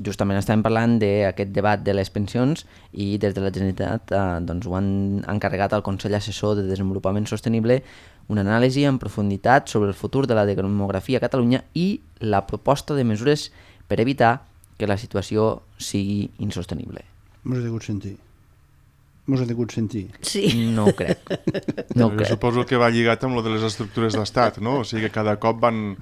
Justament estàvem parlant d'aquest debat de les pensions i des de la Generalitat ho han encarregat al Consell Assessor de Desenvolupament Sostenible una anàlisi en profunditat sobre el futur de la demografia a Catalunya i la proposta de mesures per evitar que la situació sigui insostenible. M'ho has degut sentir. Sí. No ho crec. Suposo que va lligat amb lo de les estructures d'estat, no? O sigui que cada cop van...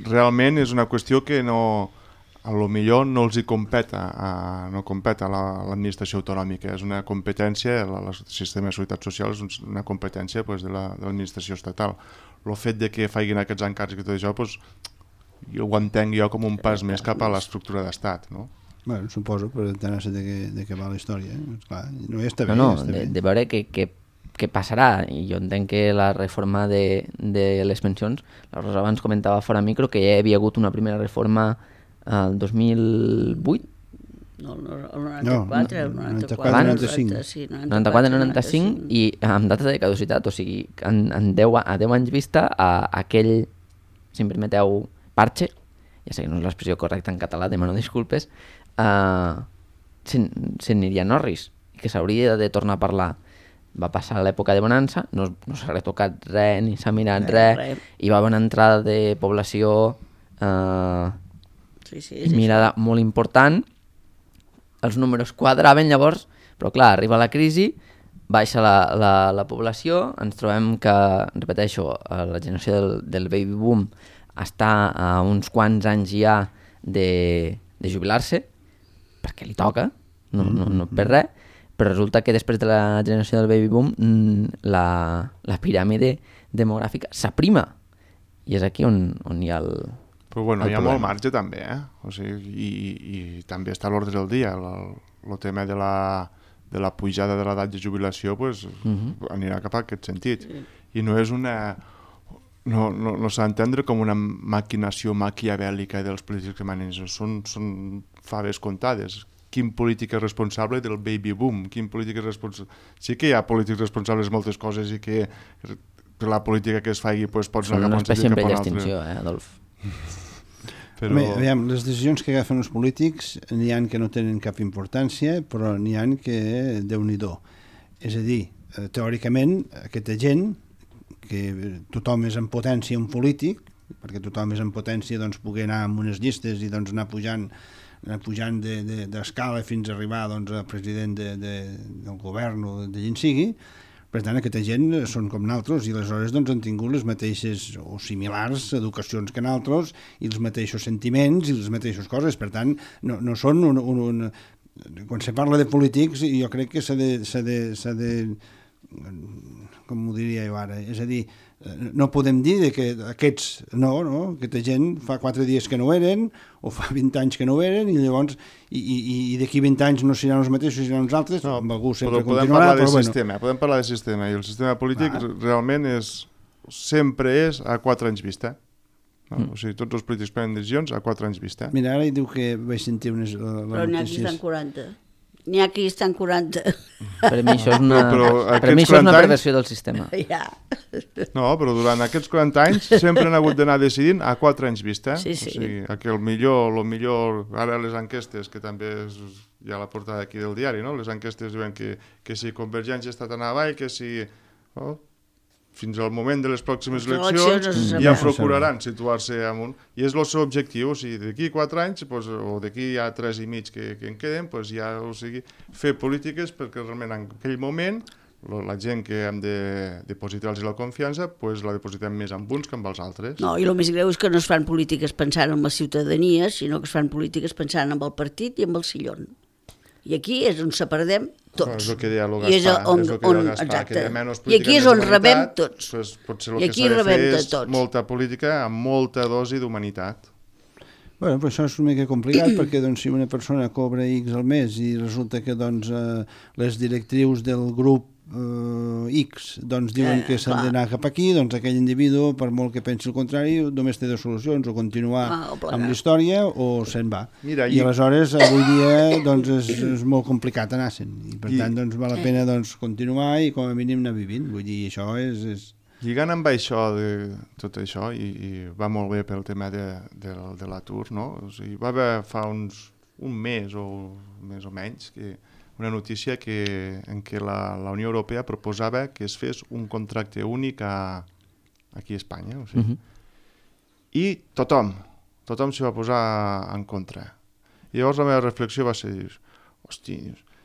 Realment és una qüestió que a lo millor no els hi competa a l'administració autonòmica. És una competència, el sistema de seguretat social és una competència de l'administració estatal. El fet de que facin aquests encàrrecs i tot això, jo ho entenc jo com un pas més cap a l'estructura d'estat, no? Bueno, suposo, però entenar-se de què va la història. Clar, no està bé. De veure què passarà. I jo entenc que la reforma de les pensions, la Rosa abans comentava fora micro que ja hi havia hagut una primera reforma el 2008. No, el 94, el 94, 95 i amb data de caducitat, o sigui, a 10 anys vista aquell, si em permeteu, parche, ja sé que no és l'expressió correcta en català, demano disculpes, se n'aniria Norris, que s'hauria de tornar a parlar. Va passar l'època de bonança, no s'ha retocat res, ni s'ha mirat res, i va haver una entrada de població mirada molt important, els números quadraven llavors, però clar, arriba la crisi, baixa la població, ens trobem que, repeteixo, la generació del baby boom està a uns quants anys ja de jubilar-se, perquè li toca, no per res, però resulta que després de la generació del baby boom la piràmide demogràfica s'aprima, i és aquí on hi ha el Però bueno, hi ha molt marge també, o sigui, i també està a l'ordre del dia, el tema de la pujada de l'edat de jubilació anirà cap a aquest sentit, i no és una... No s'ha d'entendre com una maquinació maquiavèlica dels polítics que manen, són faves comptades. Quin polític és responsable del baby boom? Quin polític és responsable... Sí que hi ha polítics responsables de moltes coses i que per la política que es faci pots anar cap a un sentit cap a un altre. Són una espècie en extinció, Adolf? Però... Aviam, les decisions que agafen els polítics n'hi ha que no tenen cap importància, però n'hi ha que Déu-n'hi-do. És a dir, teòricament, aquesta gent que tothom és en potència un polític, perquè tothom és en potència poder anar amb unes llistes i anar pujant d'escala fins a arribar a president del govern o de gent sigui. Per tant, aquesta gent són com nosaltres i aleshores han tingut les mateixes o similars educacions que nosaltres i els mateixos sentiments i les mateixes coses. Per tant, no són quan se parla de polítics, jo crec que s'ha de com ho diria jo ara, és a dir, no podem dir que aquests, aquesta gent fa 4 dies que no eren, o fa 20 anys que no eren, i llavors, i d'aquí 20 anys no seran els mateixos, seran els altres, amb algú sempre continuarà. Podem parlar de sistema, i el sistema polític realment sempre és a 4 anys vista. O sigui, tots els polítics prenen decisions a 4 anys vista. Mira, ara diu que vaig sentir unes Però n'hi ha qui estan 40. N'hi ha qui estan 40. Per mi això és una perversió del sistema. Ja. No, però durant aquests 40 anys sempre han hagut d'anar decidint a 4 anys vista. Sí. O sigui, que el millor, ara les enquestes, que també hi ha la portada aquí del diari, no? Les enquestes diuen que si Convergència està tan avall, que si... fins al moment de les pròximes eleccions ja procuraran situar-se amunt. I és el seu objectiu, o sigui, d'aquí 4 anys, o d'aquí ja 3 i mig que en queden, ja, o sigui, fer polítiques perquè realment en aquell moment la gent que hem de depositar-los la confiança, la depositem més amb uns que amb els altres. No, i el més greu és que no es fan polítiques pensant en la ciutadania, sinó que es fan polítiques pensant en el partit i en el sillon. I aquí és on separadem tots. És el que deia el I és Gaspar, que de menys política. I aquí és on rebem tots. Potser el que s'ha de fer és molta política amb molta dosi d'humanitat. Bueno, però això és una mica complicat perquè si una persona cobra X al mes i resulta que les directrius del grup X diuen que s'ha d'anar cap aquí, aquell individu, per molt que pensi el contrari, només té 2 solucions, o continuar amb la història o se'n va. I aleshores avui dia és molt complicat anar-se'n i per tant val la pena continuar i com a mínim anar vivint. Vull dir, això és... Lligant amb això, tot això, i va molt bé pel tema de l'atur, no? O sigui, va haver fa un mes o més o menys una notícia en què la Unió Europea proposava que es fes un contracte únic aquí a Espanya. O sigui. I tothom s'hi va posar en contra. I llavors la meva reflexió va ser, hosti,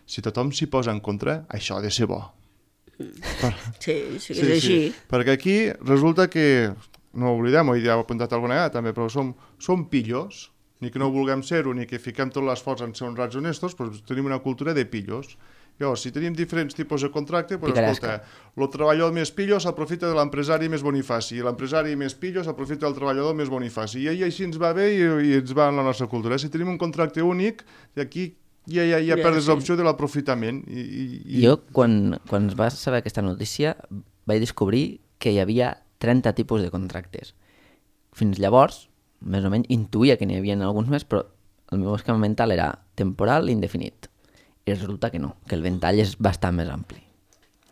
si tothom s'hi posa en contra, això ha de ser bo. Sí, és així. Perquè aquí resulta que, no ho oblidem, ja ho he apuntat alguna vegada també, però som pillos, ni que no vulguem ser-ho, ni que fiquem tot l'esforç en ser honrats honestos, però tenim una cultura de pillos. Llavors, si tenim diferents tipus de contracte, escolta, el treballador més pillo s'aprofita de l'empresari més bonifaci, i l'empresari més pillo s'aprofita del treballador més bonifaci, i així ens va bé i ens va en la nostra cultura. Si tenim un contracte únic, aquí ja perdes l'opció de l'aprofitament. Jo, quan es va saber aquesta notícia, vaig descobrir que hi havia 30 tipus de contractes. Fins llavors, més o menys, intuïa que n'hi havia alguns més, però el meu esquema mental era temporal i indefinit. I resulta que no, que el ventall és bastant més ampli.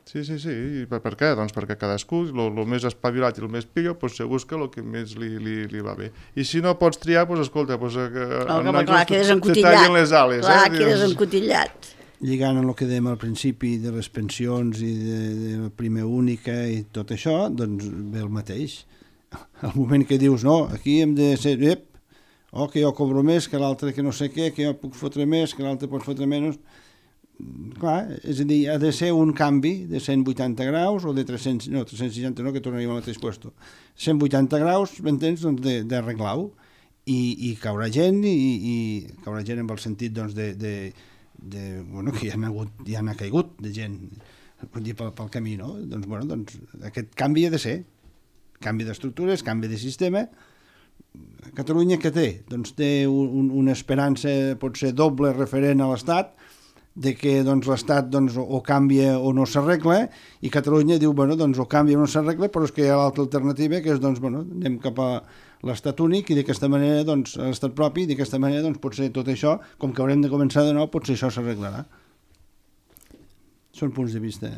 Sí. I per què? Doncs perquè cadascú, el més espavilat i el més pillo, se busca el que més li va bé. I si no pots triar, escolta, quedes encotillat. Clar, quedes encotillat. Lligant amb el que dèiem al principi de les pensions i de la prima única i tot això, ve el mateix. Al moment que dius, no, aquí hem de ser, que jo cobro més, que l'altre que no sé què, que jo puc fotre més, que l'altre pot fotre menys. Clar, és a dir, ha de ser un canvi de 180 graus o de 360, no, que tornaríem al mateix puesto. 180 graus, m'entens, d'arreglar-ho. I caurà gent, i caurà gent en el sentit, que ja n'ha caigut de gent, pel camí, no? Aquest canvi ha de ser. Canvi d'estructures, canvi de sistema. Catalunya què té? Té una esperança potser doble referent a l'Estat, de que l'Estat o canvia o no s'arregla, i Catalunya diu, o canvia o no s'arregla, però és que hi ha l'altra alternativa, que és, anem cap a l'Estat únic, i d'aquesta manera, l'Estat propi, i d'aquesta manera, potser tot això, com que haurem de començar de nou, potser això s'arreglarà. Són punts de vista...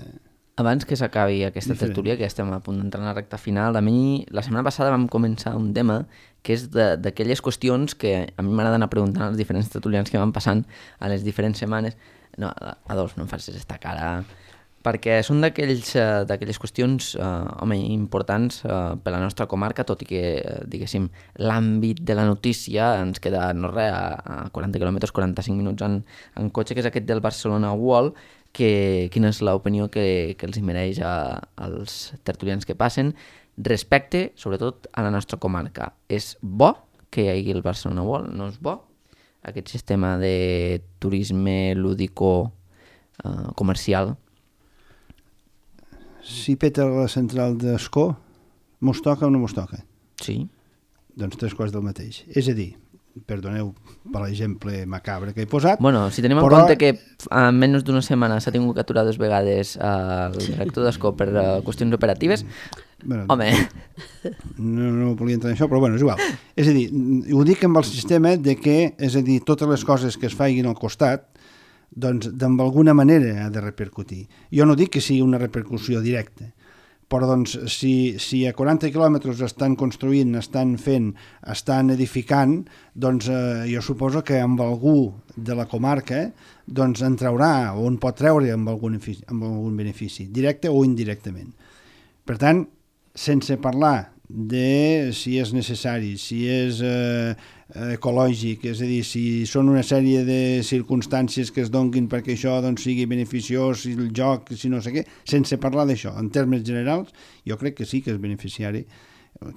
Abans que s'acabi aquesta tertúlia, que ja estem a punt d'entrar en la recta final, a mi la setmana passada vam començar un tema que és d'aquelles qüestions que a mi m'agrada anar preguntant als diferents tertulians que van passant a les diferents setmanes. No, Adolf, no em facis esta cara, perquè són d'aquelles qüestions importants per a la nostra comarca, tot i que, diguéssim, l'àmbit de la notícia ens queda no res, a 40 quilòmetres, 45 minuts en cotxe, que és aquest del Barcelona World, quina és l'opinió que els mereix als tertulians que passen respecte, sobretot, a la nostra comarca. És bo que hi hagi el Barcelona World? No és bo? aquest sistema de turisme lúdico comercial. Si peta la central d'Escó, mos toca o no mos toca? Sí. Doncs 3 quarts del mateix. És a dir, perdoneu per l'exemple macabre que he posat... Bueno, si tenim en compte que en menys d'una setmana s'ha tingut que aturar 2 vegades el director d'Escó per qüestions operatives, bueno, home... No volia entrar en això, però bueno, és igual. És a dir, ho dic amb el sistema de que, és a dir, totes les coses que es facin al costat, doncs d'alguna manera ha de repercutir. Jo no dic que sigui una repercussió directa, però doncs si a 40 quilòmetres estan construint, estan fent, estan edificant, doncs jo suposo que amb algú de la comarca doncs en traurà o en pot treure amb algun benefici, directe o indirectament. Per tant, sense parlar de si és necessari, si és ecològic, és a dir, si són una sèrie de circumstàncies que es donguin perquè això doncs, sigui beneficiós, si el joc, si no sé què, sense parlar d'això, en termes generals, jo crec que sí que és beneficiari,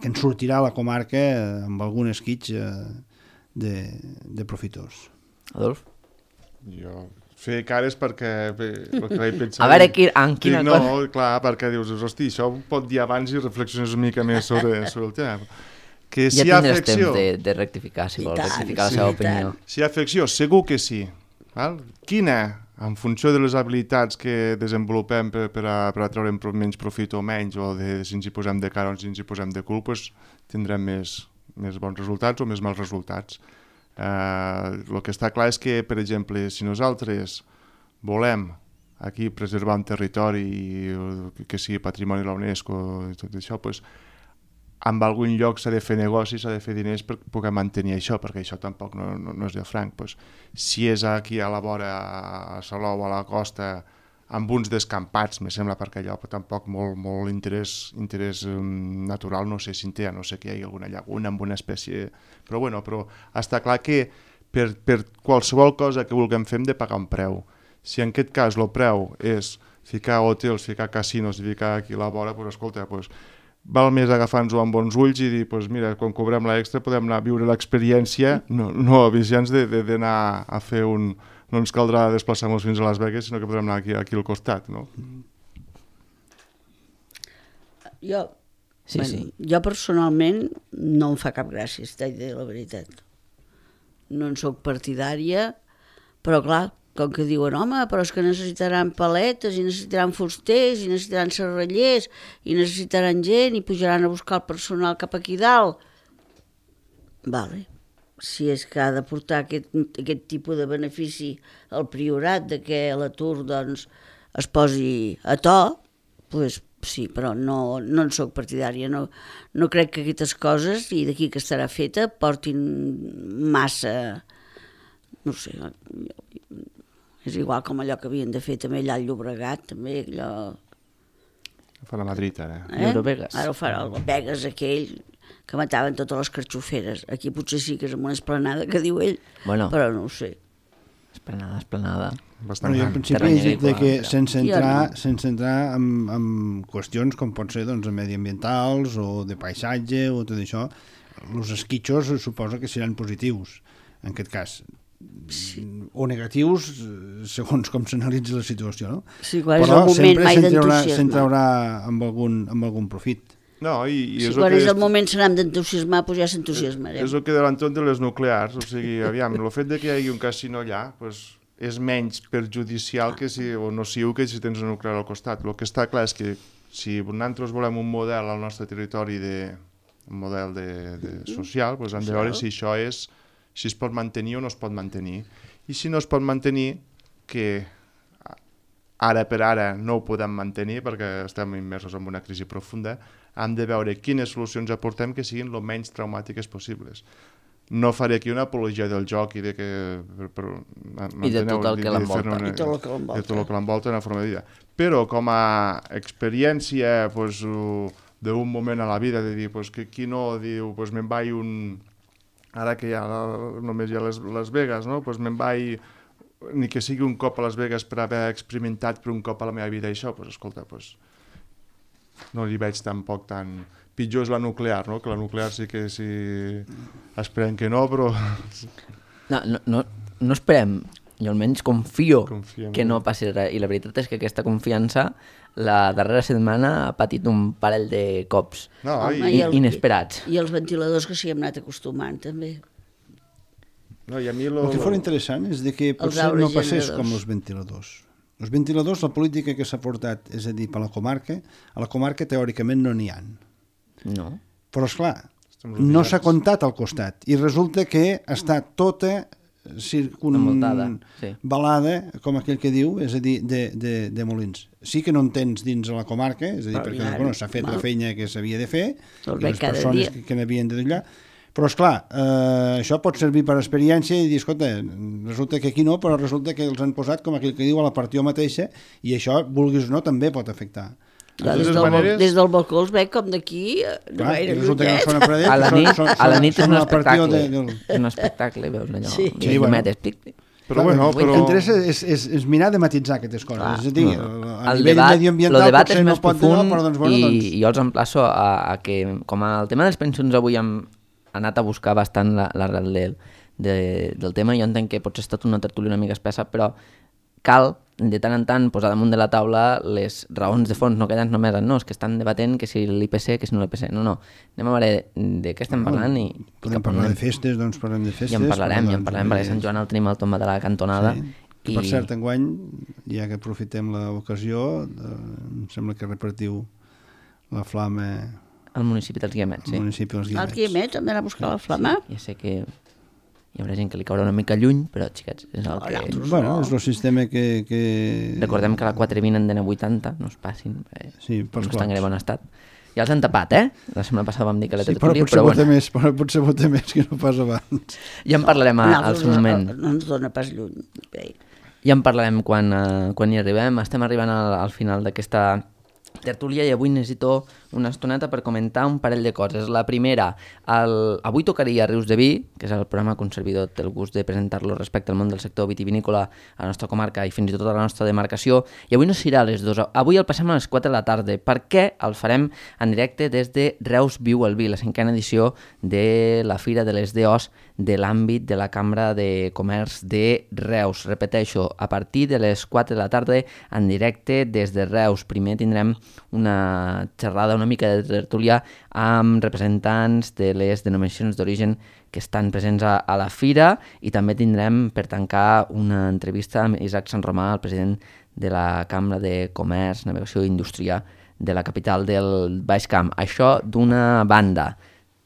que en sortirà la comarca amb algun esquitx de profitós. Adolf? Jo fer cares perquè el que vaig pensar... A veure, en quina cosa... No, clar, perquè dius, hosti, això ho pot dir abans i reflexiones una mica més sobre el tema. Que ja si hi ha tindràs afecció... temps de rectificar, si vols, rectificar la seva opinió. Si hi ha afecció, segur que sí. Val? Quina, en funció de les habilitats que desenvolupem per a treure menys profit o menys, o si ens hi posem de cara o si ens hi posem de cul, doncs tindrem més bons resultats o més mals resultats. El que està clar és que, per exemple, si nosaltres volem aquí preservar un territori que sigui patrimoni de la UNESCO i tot això, doncs, en algun lloc s'ha de fer negoci, s'ha de fer diners per poder mantenir això, perquè això tampoc no és de franc. Doncs, si és aquí a la vora, a Salou, a la costa, amb uns descampats, me sembla, perquè allò tampoc molt interès natural, no sé si en té, no sé que hi hagi alguna llaguna amb una espècie... Però està clar que per qualsevol cosa que vulguem fer hem de pagar un preu. Si en aquest cas el preu és ficar hotels, ficar casinos i ficar aquí a la vora, doncs escolta, val més agafar-nos-ho amb bons ulls i dir, mira, quan cobrem l'extra podem anar a viure l'experiència, no avisar-nos d'anar a fer un... No ens caldrà desplaçar-nos fins a Las Vegas, sinó que podrem anar aquí al costat, no? Jo personalment no em fa cap gràcia, t'he de dir la veritat. No en soc partidària, però clar, com que diuen, home, però és que necessitaran paletes, i necessitaran fusters, i necessitaran serrallers, i necessitaran gent, i pujaran a buscar el personal cap aquí dalt. Vale. Si és que ha de portar aquest tipus de benefici al Priorat, de que l'atur doncs, es posi a to, doncs sí, però no en soc partidària. No crec que aquestes coses, i d'aquí que estarà feta, portin massa... No sé, és igual com allò que havien de fer també allà al Llobregat, també allò... Ho fa la Madrid, ara. Eurovegas. Ara ho farà el Vegas aquell... que mataven totes les carxoferes. Aquí potser sí que és amb una esplanada que diu ell, però no ho sé. Esplanada. Bastant jo en principi he dit que sense entrar en qüestions com pot ser doncs, mediambientals o de paisatge o tot això, els esquitxos suposo que seran positius en aquest cas. Sí. O negatius segons com s'analitzi la situació, no? Sí, clar, és el moment mai d'entusiasme. Però sempre traurà amb algun profit. No, si quan és el moment serà d'entusiasmar, doncs ja s'entusiasmarem. És el que davant tot de les nuclears, o sigui, aviam, el fet que hi hagi un casino allà doncs, és menys perjudicial que o nociu que si tens una nuclear al costat. El que està clar és que si nosaltres volem un model al nostre territori, un model social, doncs hem de veure si això si es pot mantenir o no es pot mantenir. I si no es pot mantenir, que ara per ara no ho podem mantenir perquè estem immersos en una crisi profunda, hem de veure quines solucions aportem que siguin el menys traumàtiques possibles. No faré aquí una apologia del joc i de que... I de tot el que l'envolta. I tot el que l'envolta en la forma de vida. Però com a experiència d'un moment a la vida, de dir, qui no diu, me'n vaig ara que ja només hi ha Las Vegas, no? Me'n vaig, ni que sigui un cop a Las Vegas per haver experimentat per un cop a la meva vida això, escolta, no li veig tampoc tan... Pitjor és la nuclear, no? Que la nuclear sí que esperem que no, però... No esperem, jo almenys confio Confiem. que no passi res, i la veritat és que aquesta confiança la darrera setmana ha patit un parell de cops No, Home, inesperats. I els ventiladors que s'hi hem anat acostumant, també. no, i a mi El que fos interessant és de que potser no passés com els ventiladors. Els ventiladors, la política que s'ha portat, és a dir, per a la comarca teòricament no n'hi ha. No. Però, esclar, no s'ha comptat al costat i resulta que està tota Envoltada, sí. balada, com aquell que diu, és a dir, de molins. Sí que no en tens dins la comarca, és a dir, perquè bueno, s'ha fet la feina que s'havia de fer i les persones que n'havien de d'allà, però esclar, això pot servir per experiència i dir, escolta, resulta que aquí no, però resulta que els han posat, com aquell que diu, a la partió mateixa, i això, vulguis o no, també pot afectar. Des del balcó els veig com d'aquí, no gaire llunyet. A la nit és un espectacle. És un espectacle, veus allò. Sí. Però bueno, però... L'interès és mirar de matitzar aquestes coses. És a dir, a nivell mediambiental potser no pot donar, però doncs bueno... I jo els emplaço a que, com el tema de les pensions avui hem anat a buscar bastant l'arrel del tema, jo entenc que potser ha estat una tertúlia una mica espessa, però cal de tant en tant posar damunt de la taula les raons de fons, no queden només en no, és que estan debatent que si l'IPC, que si no l'IPC. No, anem a veure de què estem parlant i podem parlar de festes, doncs parlem de festes. Ja en parlarem, perquè Sant Joan el tenim al tomba de la cantonada. Sí. Per cert, enguany, ja que aprofitem l'ocasió, em sembla que repartiu la flama al municipi dels Guiamets, sí. Als Guiamets hem d'anar a buscar la flama? Sí, ja sé que hi haurà gent que li caurà una mica lluny, però, xiquets, és el que... Bueno, és el sistema que... Recordem que a la 420 en dena 80, no es passin, sí, no estan en bon estat. Ja els han tapat, La setmana passada vam dir que la tertúlia, però bueno. Potser vota més que no pas abans. Ja en parlarem al seu moment. No ens dona pas lluny. Ja en parlarem quan hi arribem. Estem arribant al final d'aquesta tertúlia i avui necessito una estoneta per comentar un parell de coses. La primera, avui tocaria Rius de Vi, que és el programa que un servidor té el gust de presentar-lo respecte al món del sector vitivinícola a la nostra comarca i fins i tot a la nostra demarcació, i avui no serà a les 2, avui el passem a les 4 de la tarda, perquè el farem en directe des de Reus Viu el Vi, la 5a edició de la Fira de les DOs de l'àmbit de la Cambra de Comerç de Reus. Repeteixo, a partir de les 4 de la tarda en directe des de Reus. Primer tindrem una xerrada, una mica de tertúlia amb representants de les denominacions d'origen que estan presents a la fira, i també tindrem per tancar una entrevista amb Isaac Sant Romà, el president de la Cambra de Comerç, Navegació i Indústria de la capital del Baix Camp. Això d'una banda,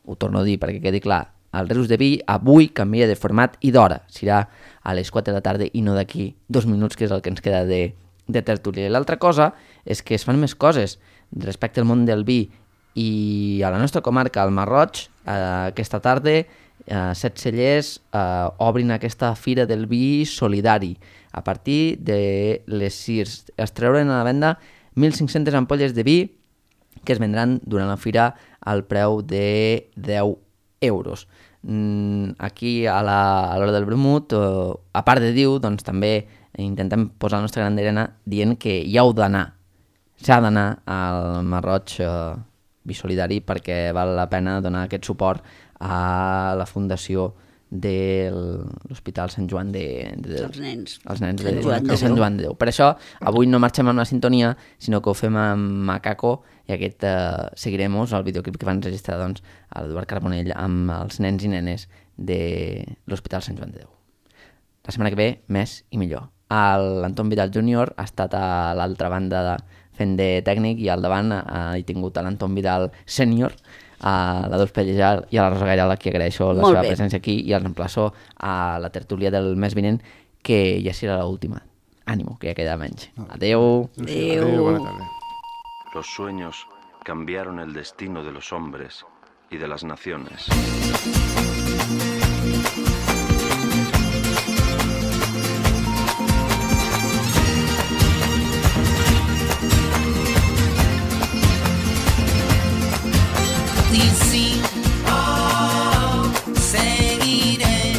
ho torno a dir perquè quedi clar, el Rius de Vi avui canvia de format i d'hora, serà a les 4 de la tarda i no d'aquí 2 minuts, que és el que ens queda de tertúlia. I l'altra cosa és que es fan més coses respecte al món del vi i a la nostra comarca, al Marroig, aquesta tarda 7 cellers obrin aquesta fira del vi solidari. A partir de les 6 es treuren a la venda 1.500 ampolles de vi que es vendran durant la fira al preu de 10 euros. Aquí a l'hora del vermut, a part de dir, doncs també intentem posar la nostra gran arena dient que hi heu d'anar, s'ha d'anar al Marroig Vi Solidari, perquè val la pena donar aquest suport a la fundació de l'Hospital Sant Joan els nens de Sant Joan de Déu. Per això avui no marxem amb la sintonia, sinó que ho fem amb Macaco, i aquest seguirem el videoclip que van registrar l'Eduard Carbonell amb els nens i nenes de l'Hospital Sant Joan de Déu. La setmana que ve, més i millor. L'Anton Vidal Júnior ha estat a l'altra banda fent de tècnic, i al davant he tingut l'Anton Vidal Sènior, a la Dols Pellejar i a la Rosa Gairal, a qui agraeixo la seva presència aquí, i els emplaço a la tertúlia del mes vinent, que ja serà l'última. Ànimo, que ja queda menys. Adeu. Adeu. Buena tarde. Los sueños cambiaron el destino de los hombres y de las naciones. Y sí, seguiremos.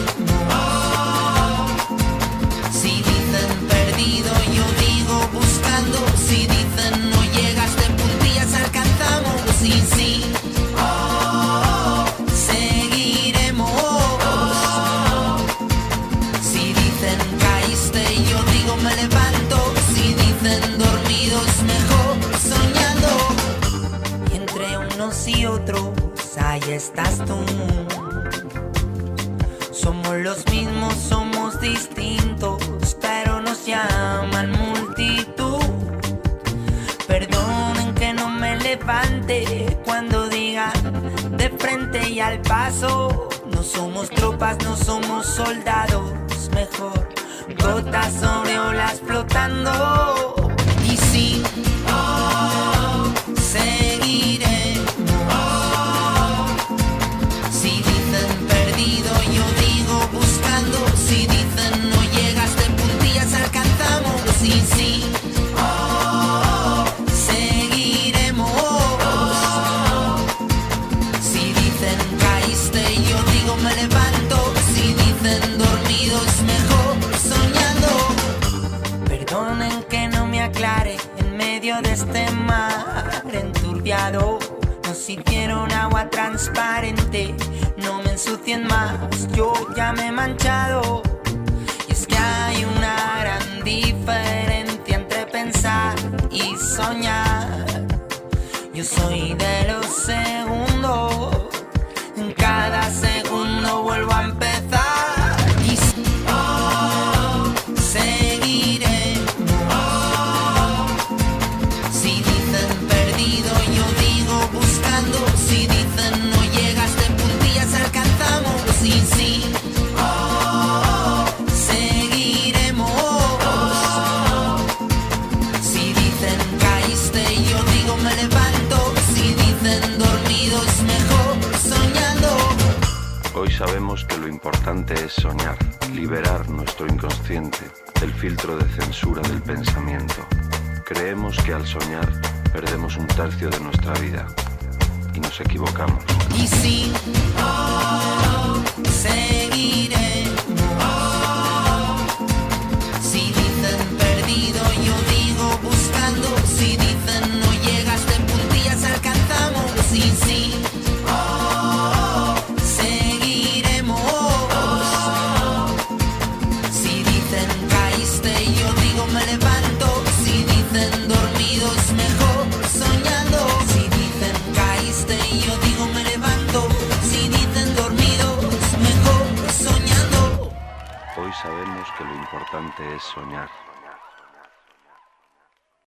Si dicen perdido, yo digo buscando. Si dicen no llegas de puntillas, alcanzamos. Y sí, seguiremos. unos y otros, ahí estás tú. Somos los mismos, somos distintos, pero nos llaman multitud. Perdonen que no me levante cuando digan de frente y al paso. No somos tropas, no somos soldados, mejor gotas sobre olas flotando. Y sí, seguiremos. Si dicen perdido, yo digo buscando. Si dicen no llegas de puntillas, alcanzamos. Y sí, seguiremos. Si dicen caíste, yo digo me levanto. Si dicen dormidos, mejor soñando. Perdonen que no me aclare en medio de este mar enturbiado. Nos hicieron agua transparente, no me ensucien más, yo ya me he manchado. Y es que hay una gran diferencia entre pensar y soñar. Yo soy de los segundos, en cada segundo vuelvo a empezar. Y seguiremos. Si dicen perdido, yo digo buscando. Si dicen no llegas de puntillas, alcanzamos. Y sí, seguiremos. Si dicen caíste, yo digo me levanto. Si dicen dormidos, mejor soñando. Hoy sabemos que lo importante es soñar, liberar nuestro inconsciente del filtro de censura del pensamiento. Creemos que al soñar perdemos un tercio de nuestra vida y nos equivocamos. Y sí, seguiremos. Si dicen perdido, yo digo buscando. Si dicen no llegas de puntillas, alcanzamos. Y sí, seguiremos. Si dicen caíste, yo digo me levanto. Si dicen dormidos, mejor soñando. Si dicen caíste, yo digo me levanto. Si dicen dormidos, mejor soñando. Hoy sabemos que lo importante es soñar,